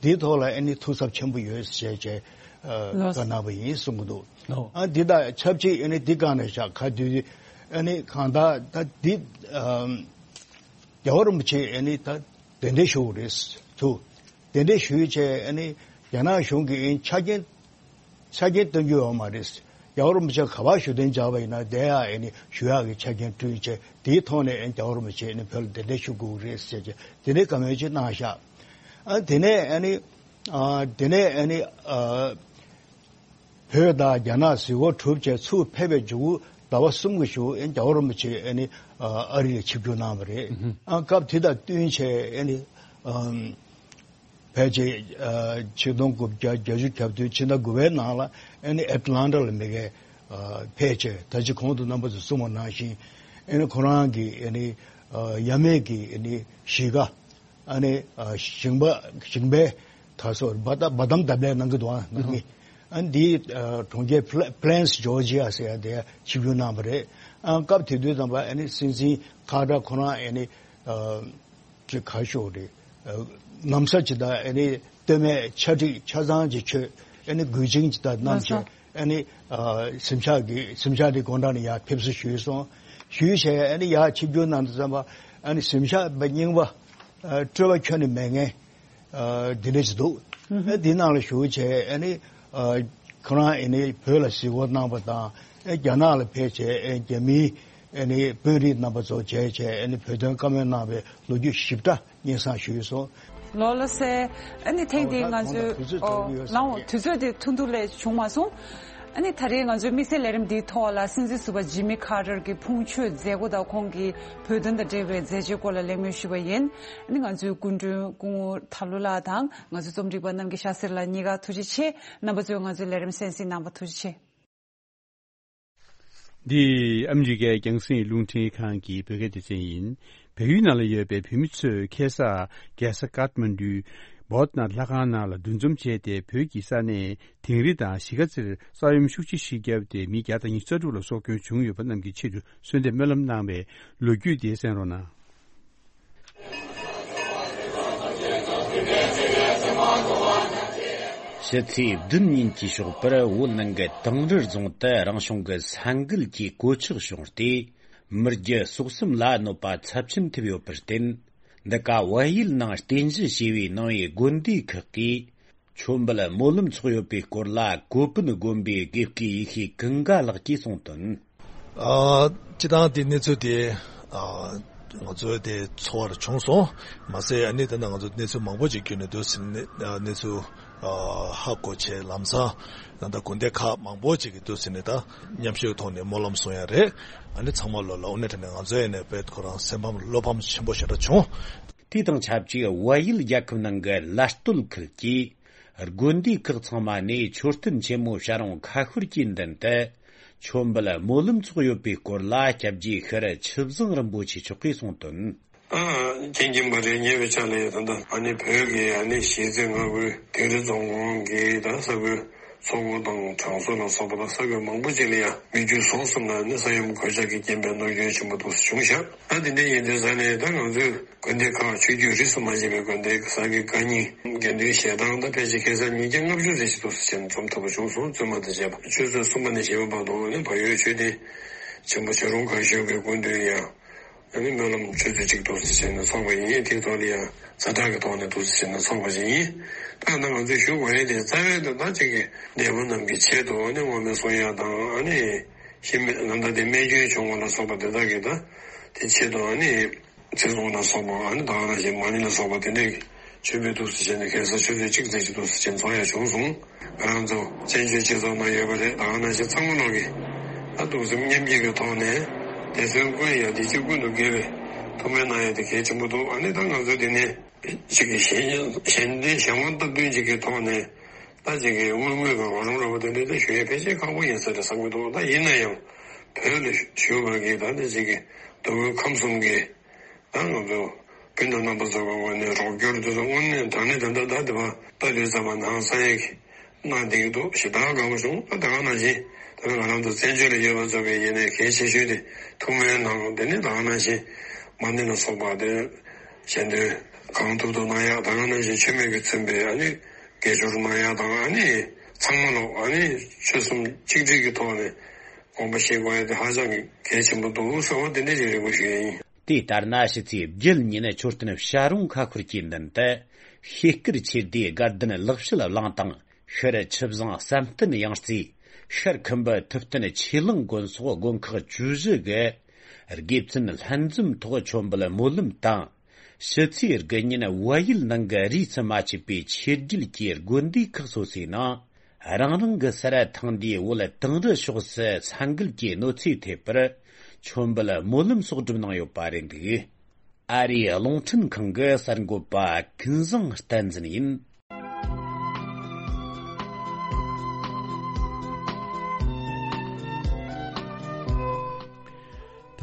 འདིའི་ཐོག་ལ་ཨ་ནི་ཐུགས་འཚབ་ཆེན་པོ་ཡོད་ཅེས་བྱས་ཨ་ལོས། བཀའ་གནང་བ་ཡིན་གསུང་གི་འདུག་ཨོ། ཨ་འདི་དང་ཆབས་ཅིག་ཨ་ནི་འདི་གང་ནས་བཞག་ག་དུས་ཨ་ནི་གང་ལྟར་ད་འདི་ཨམ་རྒྱལ་བ་རིན་པོ་ཆེ་ཨ་ནི་ད་གདན་འདྲེན་ཞུ་དགོས་རེད་ཚུར། གདན་འདྲེན་ཞུས་བྱས་ཨ་ནི་རྒྱ་ནག་གཞུང་གིས་ཨ་ནི་ཆ་རྐྱེན་ཆ་རྐྱེན་སྟོན་རྒྱུ་ཡོད་མ་རེད། རྒྱལ་བ་རིན་པོ་ཆེ་ག་པར་བཞུགས་གདན་འཇགས་པ་ཡིན་ན་དེ་ཡང་ཨ་ནི་ཞུ་ཡག་གི་ཆ་རྐྱེན་བསྐྲུན་བྱས་དེའི་ཐོག་ནས་ཨ་ནི་རྒྱལ་བ་རིན་པོ་ཆེ་ཨ་ནི་བོད་ལ་གདན་འདྲེན་ཞུ་དགོས་ཀྱི་རེད་ཟེར་བྱས་དེ་འདྲའི་བཀའ་མོལ་ཅིག་གནང་ཤག་ཨ་དེ་ནས་ཨ་ནི་ཨ་དེ་ནས་ཨ་ནི་ཨ་བོད་དང་རྒྱ་ནག་གཟིགས་སྐོར་གྲུབ་བྱས་ཚུར་ཕེབས་པའི་མཇུག་ཟླ་བ་གསུམ་གྱི་གཞུག་ཨ་ནི་རྒྱལ་བ་རིན་པོ་ཆེ་ཨ་ནི་ཨ་རི་ལ་ཆིབས་བསྒྱུར་གནང་བ་རེད། ཨ་སྐབས་དེ་དང་བསྟུན་བྱས་ཨ་ནི་ཨ། ཕལ་ཆེར་ཨ་ཆིག་སྟོང་དགུ་བརྒྱ་བརྒྱད་ཅུ་གྱ་བདུན་ཕྱི་ཟླ་དགུ་པའི་ནང་ལ་ཨ་ནི་ཨེ་ཊ་ལན་ཊ་ལ་མ་གིར་ཨ་ཕེབས་བྱས་ད་ཅི་གོང་དུ་རྣམ་པ་ཚོས་གསུངས་པ་ནང་བཞིན་ཨ་ནི་ཁོ་རང་གི་ཨ་ནི་ཨ་ཡབ་མེས་ཀྱི་ཨ་ནི་གཞིས་ཀ་ཨ་ནི་ཨ་ཞིང་པ་ཞིང་པའི་དར་སྲོལ་འབར་འབར་དམ་བརྡ་ལན་གནང་གི་འདུག་ཨ་ནང་མི་ཨ་ནི་འདིའི་ཨ་གྲོང་ཁྱེར་ཕི་ལེ་ཕི་ལེན་སི་ཇོར་ཇི་ཡ་ཟེར་ཡ་དེར་ཆིབས་བསྒྱུར་གནང་བ་རེད། ཨ་སྐབས་དེ་དུས་ཙམ་པ་ཨ་ནི་སྲིད་འཛིན་ཁ་ཏར་ཁོ་རང་ཨ་ནི་ཨ། ཅིག་ག་ཤོག་རེད། ཨ་ན་བཟའ་ཅིག་དང་ཨ་ནི་སྟོད་སྨད་ཆ་འགྲིག་ཆ་ཚང་ཅིག་མཆོད་ཨ་ནི་མགུལ་ཆིངས་ཅིག་དང་བསྣམས་བྱས་ཨ་ནི་ཨ་གཟིམ་ཤག་གི་གཟིམ་ཤག་དེ་སྒོ་འགྲམ་ནས་ཡར་ཕེབས་བསུ་ཞུས་སོང་། ཞུས་བྱས་ཨ་ནི་ཡར་ཆིབས་བསྒྱུར་གནང་དུས་ཙམ་པ་ཨ་ནི་གཟིམ་ཤག་པ་རྙིང་པ་ཨ་སྤྲོས་པ་ཁྱོན་ནས་མེད་མཁན་ཨ་འདི་འདྲ་ཅིག་འདུག་ཨ་འདི་ནང་ལ་བཞུགས་བྱས་ཨ་ནི་ཨ་ཁོ་རང་ཨ་ནི་བོད་ལ་གཟིགས་སྐོར་གནང་བ་དང་ཨ་རྒྱ་ནག་ལ་ཕེབས་བྱས་ཨ་རྒྱ་མིའི་ཨ་ནི་དཔོན་རིགས་རྣམ་པ་ཚོ་མཇལ་བྱས་ཨ་ནི་བོད་དོན་བཀའ་མོལ་གནང་བའི་ལོ་རྒྱུས་ཞིབ་ཕྲ་སྙན་སེང་ཞུས་སོང་། ལགས་ལགས་སེ། ཨ་ནི་ཐེངས་འདིའི་ང་ཚོའི་ཨོ་ལགས་འོ་དུས་ཚོད་དེ་ཐུང་ཐུང་ལས་བྱུང་མ་སོང་། ཨ་ནི་ད་རེས་ང་ཚོའི་དམིགས་བསལ་ལས་རིམ་འདིའི་ཐོག་ལ་སྲིད་འཛིན་ཟུར་པ་ཇི་མི་ཁ་ཏར་གྱི་ཕུང་མཆོད་མཛད་སྒོ་དང་ཁོང་གི་བོད་དོན་དང་འབྲེལ་བའི་མཛད་རྗེས་སྐོར་ལ་གླེང་མོལ་ཞུས་པ་ཡིན། ཨ་ནི་ང་ཚོའི་སྐུ་མགྲོན་སྐུ་ངོ་ཐར་ལུ་ལགས་དང་ང་ཚོའི་རྩོམ་སྒྲིག་པ་རྣམ་རྒྱལ་ཤཱ་སེ་ར་ལགས་གཉིས་ཀ་ཐུགས་རྗེ་ཆེ། རྣམ་པ་ཚོས་ང་ཚོའི་ལས་རིམ་གསན་གཟིགས་གནང་བ་ཐུགས་རྗེ་ཆེ། འདི་ཨ་མི་རི་ཀའི་རྒྱང་སྲིང་རླུང་འཕྲིན་ཁང་གི་བོད་སྐད་སྡེ་ཚན་ཡིན། བལ་ཡུལ་ནང་ལ་ཡོད་པའི་བོད་མི་ཚོས་ཁ་སང་རྒྱལ་ས་ཀཏ་མན་ཌུའི་བོད་ནང་ལྷ་ཁང་ནང་ལ་འདུ་འཛོམས་བྱས་ཏེ་བོད་ཀྱི་ས་གནས་དིང་རི་དང་གཞིས་ཀ་རྩེར་ས་ཡོམ་ཤུགས་ཆེ་ཞིག་བརྒྱབ་སྟེ་མི་བརྒྱ་དང་ཉི་ཤུ་རྩ་དྲུག་ལ་སྲོག་སྐྱོན་བྱུང་ཡོད་པ་རྣམས་ཀྱི་ཆེད་དུ་གསོལ་འདེབས་སྨོན་ལམ་གནང་བའི་ལོ་རྒྱུས་དེ་གསན་རོགས་གནང་། ཕྱི་ཚེས་བདུན་ཉིན་གྱི་ཞོགས་པར་བོད་ནང་གི་དིང་རི་རྫོང་དུ་རང་བྱུང་གི་ས་འགུལ་གྱིས་གོད་ཆག་བྱུང་སྟེ། མི་རྒྱུ་སྲོག་གསུམ་ལ་གནོད་པ་ཚབས་ཆེན་ཐེབས་ཡོད་པར་བརྟེན། འདི་ག་བལ་ཡུལ་ནང་རྟེན་གཞི་བྱས་པའི་ནང་པའི་དགོན་སྡེ་ཁག་གིས་མཆོད་འབུལ་སྨོན་ལམ་ཚོགས་ཡོད་པའི་སྐོར་ལ་ཀོ་པན་དགོན་པའི་དགེ་བསྐོས་ཡེ་ཤེས་ཀུན་དགའ་ལགས་ཀྱིས་གསུངས་དོན། ཨ། སྤྱི་བཏང་དེ་གནས་ཚུལ་དེ་ཨ། ང་ཚོའི་དེ་ཚོར་བ་བྱུང་སོང་། མ་ཟད་ཨ་ནི་དེ་ན་ང་ཚོ་གནས་ཚུལ་མང་པོ་ཅིག་བརྒྱུད་ནས་འདུག་ཟིན་ནས་ཨ། གནས་ཚུལ་ཨ། ཧ་གོ་བྱས་ལམ་སང་ད་ལྟ་དགོན་སྡེ་ཁག་མང་པོ་ཅིག་གིས་འདུག་ཟིན་ནས་ད་མཉམ་ཞུགས་ཐོག་ནས་སྨོན་ལམ་གསུང་ཡ་རེད། ཨ་ནི་ཚང་མ་ལོ་ལ་དངོས་གནས་དྲང་གནས་ང་ཚོ་ཡིན་ནས་དཔེ་ཁོ་རང་སེམས་ཕམ་བློ་ཕམ་ཆེན་པོ་ཞེ་དྲག་བྱུང་། དེ་དང་ཆབས་ཅིག་བལ་ཡུལ་རྒྱལ་ཁབ་ནང་གི་ལ་སྟོད་ཁུལ་གྱི་དགོན་སྡེ་ཁག་ཚང་མ་ནས་མཆོད་རྟེན་ཆེན་མོ་བྱ་རུང་ཁ་ཤོར་གྱི་མདུན་དུ་མཆོད་འབུལ་སྨོན་ལམ་ཚོགས་ཡོད་པའི་སྐོར་ལ་སྐྱབས་རྗེ་ཤྲཱི་ཆུ་བཟང་རིན་པོ་ཆེ་མཆོག་གིས་གསུངས་དོན། ད་མཁྱེན་གྱིན་པ་རེད། ཉེ་བའི་ཆར་ལ་ཡང་ད་ལྟ་ཨ་ནི་བོད་ཀྱི་ཨ་ནི་གཞིས་རྩེ་མངའ་ཁུལ་དིང་རི་རྫོང་ཁོངས་ཀྱི་ད་ས་ཁུལ་མཚོ་སྒོ་དང་གྲང་ཟུར་ལ་སོགས་པ་དང་ས་ཁུལ་མང་པོ་ཅིག་ལ་ཡང་མི་རྒྱུ་ཟོག་གསུམ་ལ་ནི་ས་ཡོམ་གོད་ཆག་གི་རྐྱེན་པས་གནོད་སྐྱོན་ཆེན་པོ་འདུག་སེ་བྱུང་ཤག་ད་དེ་འདྲ་ཡིན་དུས་ས་ནས་ད་ང་ཚོས་དགོན་སྡེ་ཁག་ཆོས་བརྒྱུད་རིས་སུ་མ་ཆད་པའི་དགོན་སྡེ་གསར་བསྐོས་བཀའ་རྙིང་དགེ་འདུན་ཞལ་ཐང་ད་ཕལ་ཆེར་ཁ་སང་ཉིས་བརྒྱ་ལྔ་བཅུ་ཙམ་ཞིག་འདུག་སེ་བྱས་ནས་འཛོམས་ཐུབ་པ་བྱུང་སོང་། བཙུན་མ་དང་བཅས་པ་ཆོས་ཚན་གསུམ་པ་ནས་བཞི་པ་བར་དུ་ནི་བལ་ཡུལ་ཆོས་སྡེ་ཆེན་པོ་བྱ་རུང་ཁ་ཤོར་གྱི་སྐུ་མདུན་ཡང་ཨ་ནི་སྨོན་ལམ་ཆུ་ཚོད་གཅིག་འདུག་སེ་བྱས་ནས་ཚོགས་པ་ཡིན། དེའི་ཐོག་ལ་ཡང་ཛ་དྲག་གི་ཐོག་ནས་འདུག་སེ་བྱས་ནས་ཚོགས་པ་ཞིག་ཡིན། ད་ནི་ང་ཚོས་ཞུ་དགོས་ཡས་དེ་རྩ་བའི་དོན་དག་ཅིག་གི་འདས་པོ་རྣམས་ཀྱི་ཆེད་དུ་ཨ་ནི་བསྔོ་སྨོན་གསུང་ཡག་དང་ཨ་ནི་ཤི་རྨས་ལ་ད་དེ་རྨས་སྐྱོན་བྱུང་བ་ལ་སོགས་པ་དེ་དག་གི་ད་དེ་ཆེད་དུ་ཨ་ནི་ཚེ་སྲོག་ལ་སོགས་པ་ཨ་ནི་ད་ག་ནང་བཞིན་མ་ཎི་ལ་སོགས་པ་དེ་འདྲའི་ཆོས་འབུལ་འདུག་སེ་བྱས་ནས་ཁ་སང་ཆུ་ཚོད་གཅིག་ཙམ་ཞིག་འདུག་སེ་བྱས་ནས་ཚོགས་ཡག་བྱུང་སོང་། ང་རང་ཚོ་བཙན་བྱོལ་སྤྱི་ཚོགས་ནང་ཡོད་པ་རེད། ད་ག་ནང་བཞིན་ཚང་མ་ལོག་གིས་ད་གདུང་སེམས་མཉམ་སྐྱེད་ཀྱི་ཐོག་ནས་དད་བརྩོན་ཀུན་ཡང་བདེ་སྐྱིད་ཀུན་ཏུ་དགེ་བའི་ཐུགས་སྨོན་གནང་ཡག་དེ་གལ་ཆེན་པོ་འདུག་ཨ་ནི་ད་ང་ཚོ་འདི་ནས་ཅིག་གི་གཞན་གཞན་བདེ་གཞན་དབང་སྟབས་བསྟུན་ཅིག་གི་ཐོག་ནས་ད་ཅིག་གི་དངུལ་དངོས་ཀྱི་རོགས་རམ་འདྲ་པོ་དེ་འདྲ་ད་ཞུ་ཡག་ཕལ་ཆེར་ཁག་པོ་ཡིན་ས་རེད་བསམ་གྱི་འདུག་ད་ཡིན་ན་ཡང་བོད་ལ་བཞུགས་པ་གི་ད་ནི་ཅིག་གི་མདོ་དབུས་ཁམས་གསུམ་གྱི་ད་ང་ཚོ་སྤུན་ཟླ་རྣམ་པ་ཚོ་གི་ངོས་ནས་རོགས་སྐྱོར་དེ་ཚོ་དངོས་གནས་དྲང་གནས་ད་ལྟ་ད་དེ་བ་ལྟ་དུས་ཙམ་པ་ནང་ས་ཡ་གི་གནང་བསྡད་ཀྱི་འདུག་ཞེ་དྲག་དགའ་པོ་བྱུང་། ད་ད་ག་ནང་བཞིན་ད་ང་རང་ཚོ་བཙན་བྱོལ་ལ་ཡོད་པ་ཚོ་གི་ཡིན་ནའི་གལ་ཆེ་ཤོས་དེ་ཐུགས་སྨོན་གནང་། དེ་ནས་ད་ག་ནང་བཞིན་མ་ཎི་ལ་སོགས་པ་དེ་ཞལ་འདོན་གང་ཐུབ་ཐུབ་གནང་ཡག་ད་ག་ནང་བཞིན་མཆོད་མེ་གི་མཚོན་པའི་ཨ་ནི་དགེ་སྦྱོར་གནང་ཡག་དང་ཨ་ནི་ཚང་མ་ལོག་ཨ་ནི་ཆོལ་གསུམ་གཅིག་སྒྲིལ་གྱི་ཐོག་ནས་དགོངས་པ་བཞེས་དགོས་ཡག་དེ་ཧ་ཅང་གི་གལ་ཆེན་པོ་འདུག་ཟེར་བ་དེ་འདྲ་ཞིག་རེ་སྐུལ་ཞུ་ཡག་ཡིན། དེ་ལྟར་ན་ཕྱི་ཚེས་བརྒྱད་ཉིན་མཆོད་རྟེན་བྱ་རུང་ཁ་ཤོར་གྱི་མདུན་དུ་ཤེལ་དཀར་ཆོས་སྡེའི་དགའ་ལྡན་ལེགས་བཤད་གླིང་དང་ཤར་ཆུ་བཟང་བསམ་གཏན་ཡང་རྩེ། ཤར་ཁམས་པའི་ཐུབ་བསྟན་ཆོས་གླིང་དགོན་སོགས་དགོན་ཁག་བཅུ་བཞི་གི་དགེ་བཙུན་ལྷན་འཛོམས་ཐོག་མཆོད་འབུལ་སྨོན་ལམ་དང་། ཕྱི་ཚེས་དགུ་ཉིན་བལ་ཡུལ་ནང་གི་རིས་སུ་མ་ཆད་པའི་ཆོས་སྒྲིག་གི་དགོན་སྡེ་ཁག་སོ་སོའི་ནང་རང་རང་གི་སར་ཐེངས་འདིའི་བོད་དིང་རི་ཕྱོགས་སུ་ས་འགུལ་གྱི་གནོད་འཚེ་ཐེབས་པར་མཆོད་འབུལ་སྨོན་ལམ་སོགས་བསྒྲུབས་གནང་ཡོད་པ་རེད་འདུག་ཨ་རིའི་རླུང་འཕྲིན་ཁང་གི་གསར་འགོད་པ་ཀུན་བཟང་བསྟན་འཛིན་ཡིན།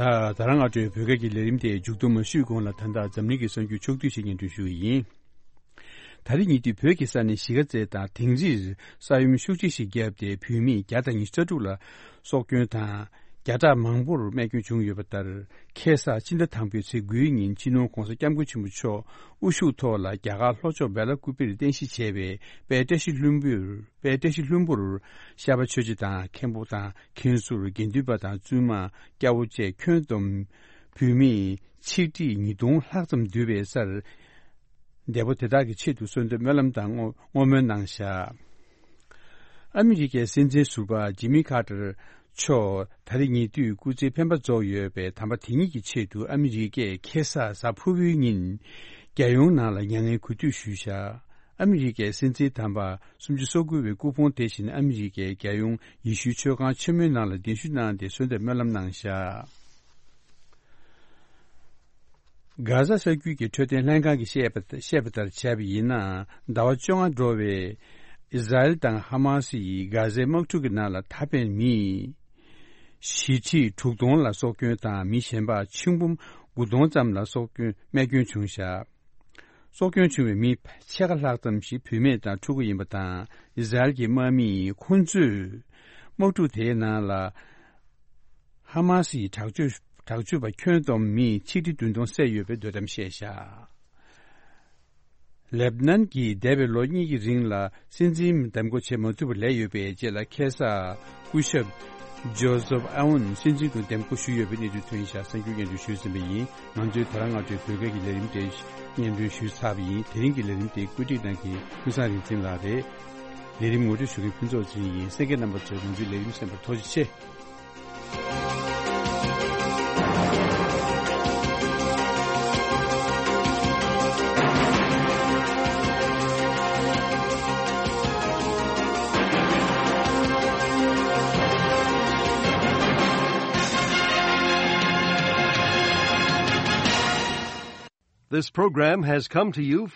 ད་ད་རང་ང་ཚོའི་བོད་སྐད་ཀྱི་ལས་རིམ་དེ་མཇུག་བསྡོམས་ཞུས་གོང་ལ། ད་ལྟ་འཛམ་གླིང་གི་གསར་འགྱུར་ཕྱོགས་བསྡུས་ཤིག་སྙན་སྒྲོན་ཞུ་གི་ཡིན། ད་རེས་ཉེ་དུས་བོད་ཀྱི་ས་གནས་གཞིས་ཀ་རྩེ་དང་དིང་རིར་ས་ཡོམ་ཤུགས་ཆེ་ཞིག་བརྒྱབ་སྟེ་བོད་མི་བརྒྱ་དང་ཉི་ཤུ་རྩ་དྲུག་ལ་སྲོག་སྐྱོན་དང་། བརྒྱ་ཕྲག་མང་པོར་རྨས་སྐྱོན་བྱུང་ཡོད་པ་ལྟར། ཁ་སང་ཕྱི་ཟླ་དང་པོའི་ཚེས་དགུའི་ཉིན་སྤྱི་ནོར་༧གོང་ས་༧སྐྱབས་མགོན་ཆེན་པོ་མཆོག་དབུ་བཞུགས་ཐོག་ལ་རྒྱ་གར་ལྷོ་ཕྱོགས་སྦེལ་ཀོབ་པིར་རྟེན་གཞི་བྱས་པའི་དཔལ་བཀྲ་ཤིས་ལྷུན་པོར། དཔལ་བཀྲ་ཤིས་ལྷུན་པོར་ཤར་པ་ཆོས་རྗེ་དང་མཁན་པོ་དང་མཁན་ཟུར་དགེ་འདུན་པ་དང་བཙུན་མ་སྐྱ་བོ་བཅས་ཁྱོན་བསྡོམས་བོད་མི་ཆིག་ཁྲི་ཉིས་སྟོང་ལྷག་ཙམ་འདུས་པའི་སར། འདས་པོ་དེ་དག་གི་ཆེད་དུ་གསོལ་འདེབས་སྨོན་ལམ་དང་བསྔོ་བསྔོ་སྨོན་གནང་བཞག་ཨ་མི་རི་ཀའི་སྲིད་འཛིན་ཟུར་པ་ཇི་མི་ཁ་ཏར་མཆོག་ད་རེས་ཉེ་དུས་སྐུ་ཚེའི་འཕེན་པ་རྫོགས་ཡོད་པའི་དམ་པ་དེ་ཉིད་ཀྱི་ཆེད་དུ་ཨ་མི་རི་ཀས་ཁ་སང་གཟའ་ཕུར་བུའི་ཉིན་རྒྱལ་ཡོངས་ནང་ལ་མྱ་ངན་གུས་འདུད་ཞུས་བཞག་ཨ་མི་རི་ཀའི་སྲིད་འཛིན་དམ་པ་སུམ་ཅུ་སོ་དགུ་བའི་སྐུ་ཕུང་དེ་བཞིན་ཨ་མི་རི་ཀའི་རྒྱལ་ཡོངས་ཡེ་ཤུའི་ཆོས་ཁང་ཆེན་མོའི་ནང་ལ་གདན་ཞུ་གནང་སྟེ་གསོལ་འདེབས་སྨོན་ལམ་གནང་བཞག་གྷ་ཟ་ས་རྒྱུད་ཀྱི་འཕྲོད་བསྟེན་ལྷན་ཁང་གིས་བཤད་པ་བཤད་པ་ལྟར་བྱས་པ་ཡིན་ན། ཟླ་བ་བཅོ་ལྔ་འགྲོ་བའི་ཨི་ཟ་རེལ་དང་ཧ་མ་སི་ཡིས་གྷ་ཟའི་དམག་འཁྲུག་གི་ནང་ལ་ད་ཕན་མི་བཞི་ཁྲི་དྲུག་སྟོང་ལ་སྲོག་སྐྱོན་དང་། མི་གཞན་པ་ཆིག་འབུམ་དགུ་སྟོང་ཙམ་ལ་སྲོག་སྐྱོན་རྨས་སྐྱོན་བྱུང་བཞག་སྲོག་སྐྱོན་བྱུང་བའི་མི་ཕྱེད་ཀ་ལྷག་ཙམ་ཞིག་བུད་མེད་དང་ཕྲུ་གུ་ཡིན་པ་དང་། ཨི་ཟ་རེལ་གྱི་དམག་མིས་ཁོང་ཚོས་དམག་འཁྲུག་དེའི་ནང་ལ། ཧ་མ་སི་ཡི་དྲག་སྤྱོད་དྲག་སྤྱོད་པ་ཁྱོན་བསྡོམས་མི་ཆིག་ཁྲི་བདུན་སྟོང་བསད་ཡོད་པའི་འདོད་གཏམ་བཤད་བཞག་ལེབ་ནན་གྱིས་འདས་པའི་ལོ་གཉིས་ཀྱི་རིང་ལ་སྲིད་འཛིན་འདེམས་བསྐོ་བྱེད་མ་ཐུབ་པར་ལས་ཡོད་པའི་རྗེས་ལ། ཁ་སང་སྐུ་ཞབས་ཇོ་སེབ་ཨ་ཝུན་སྲིད་འཛིན་དུ་འདེམས་བསྐོ་ཞུས་ཡོད་པའི་གནས་ཚུལ་ཐོན་ཤག་གསར་འགྱུར་སྙན་སྒྲོན་ཞུས་ཟིན་པ་ཡིན། ང་ཚོའི་ད་རང་སྔ་དྲོའི་བོད་སྐད་ཀྱི་ལས་རིམ་དེ་སྙན་སྒྲོན་ཞུས་ཚར་བ་ཡིན། དེ་རིང་གི་ལས་རིམ་དེ་བཀོད་སྒྲིག་གནང་མཁན་ཀུན་བཟང་རིག་འཛིན་ལགས་རེད། ལས་རིམ་ངོ་སྤྲོད་ཞུ་མཁན་ཕུན་ཚོགས་ཚེ་རིང་ཡིན། གསན་མཁན་རྣམ་པ་ཚོས་ང་ཚོའི་ལས་རིམ་གསན་པར་ཐུགས་རྗེ་ཆེ། This program has come to you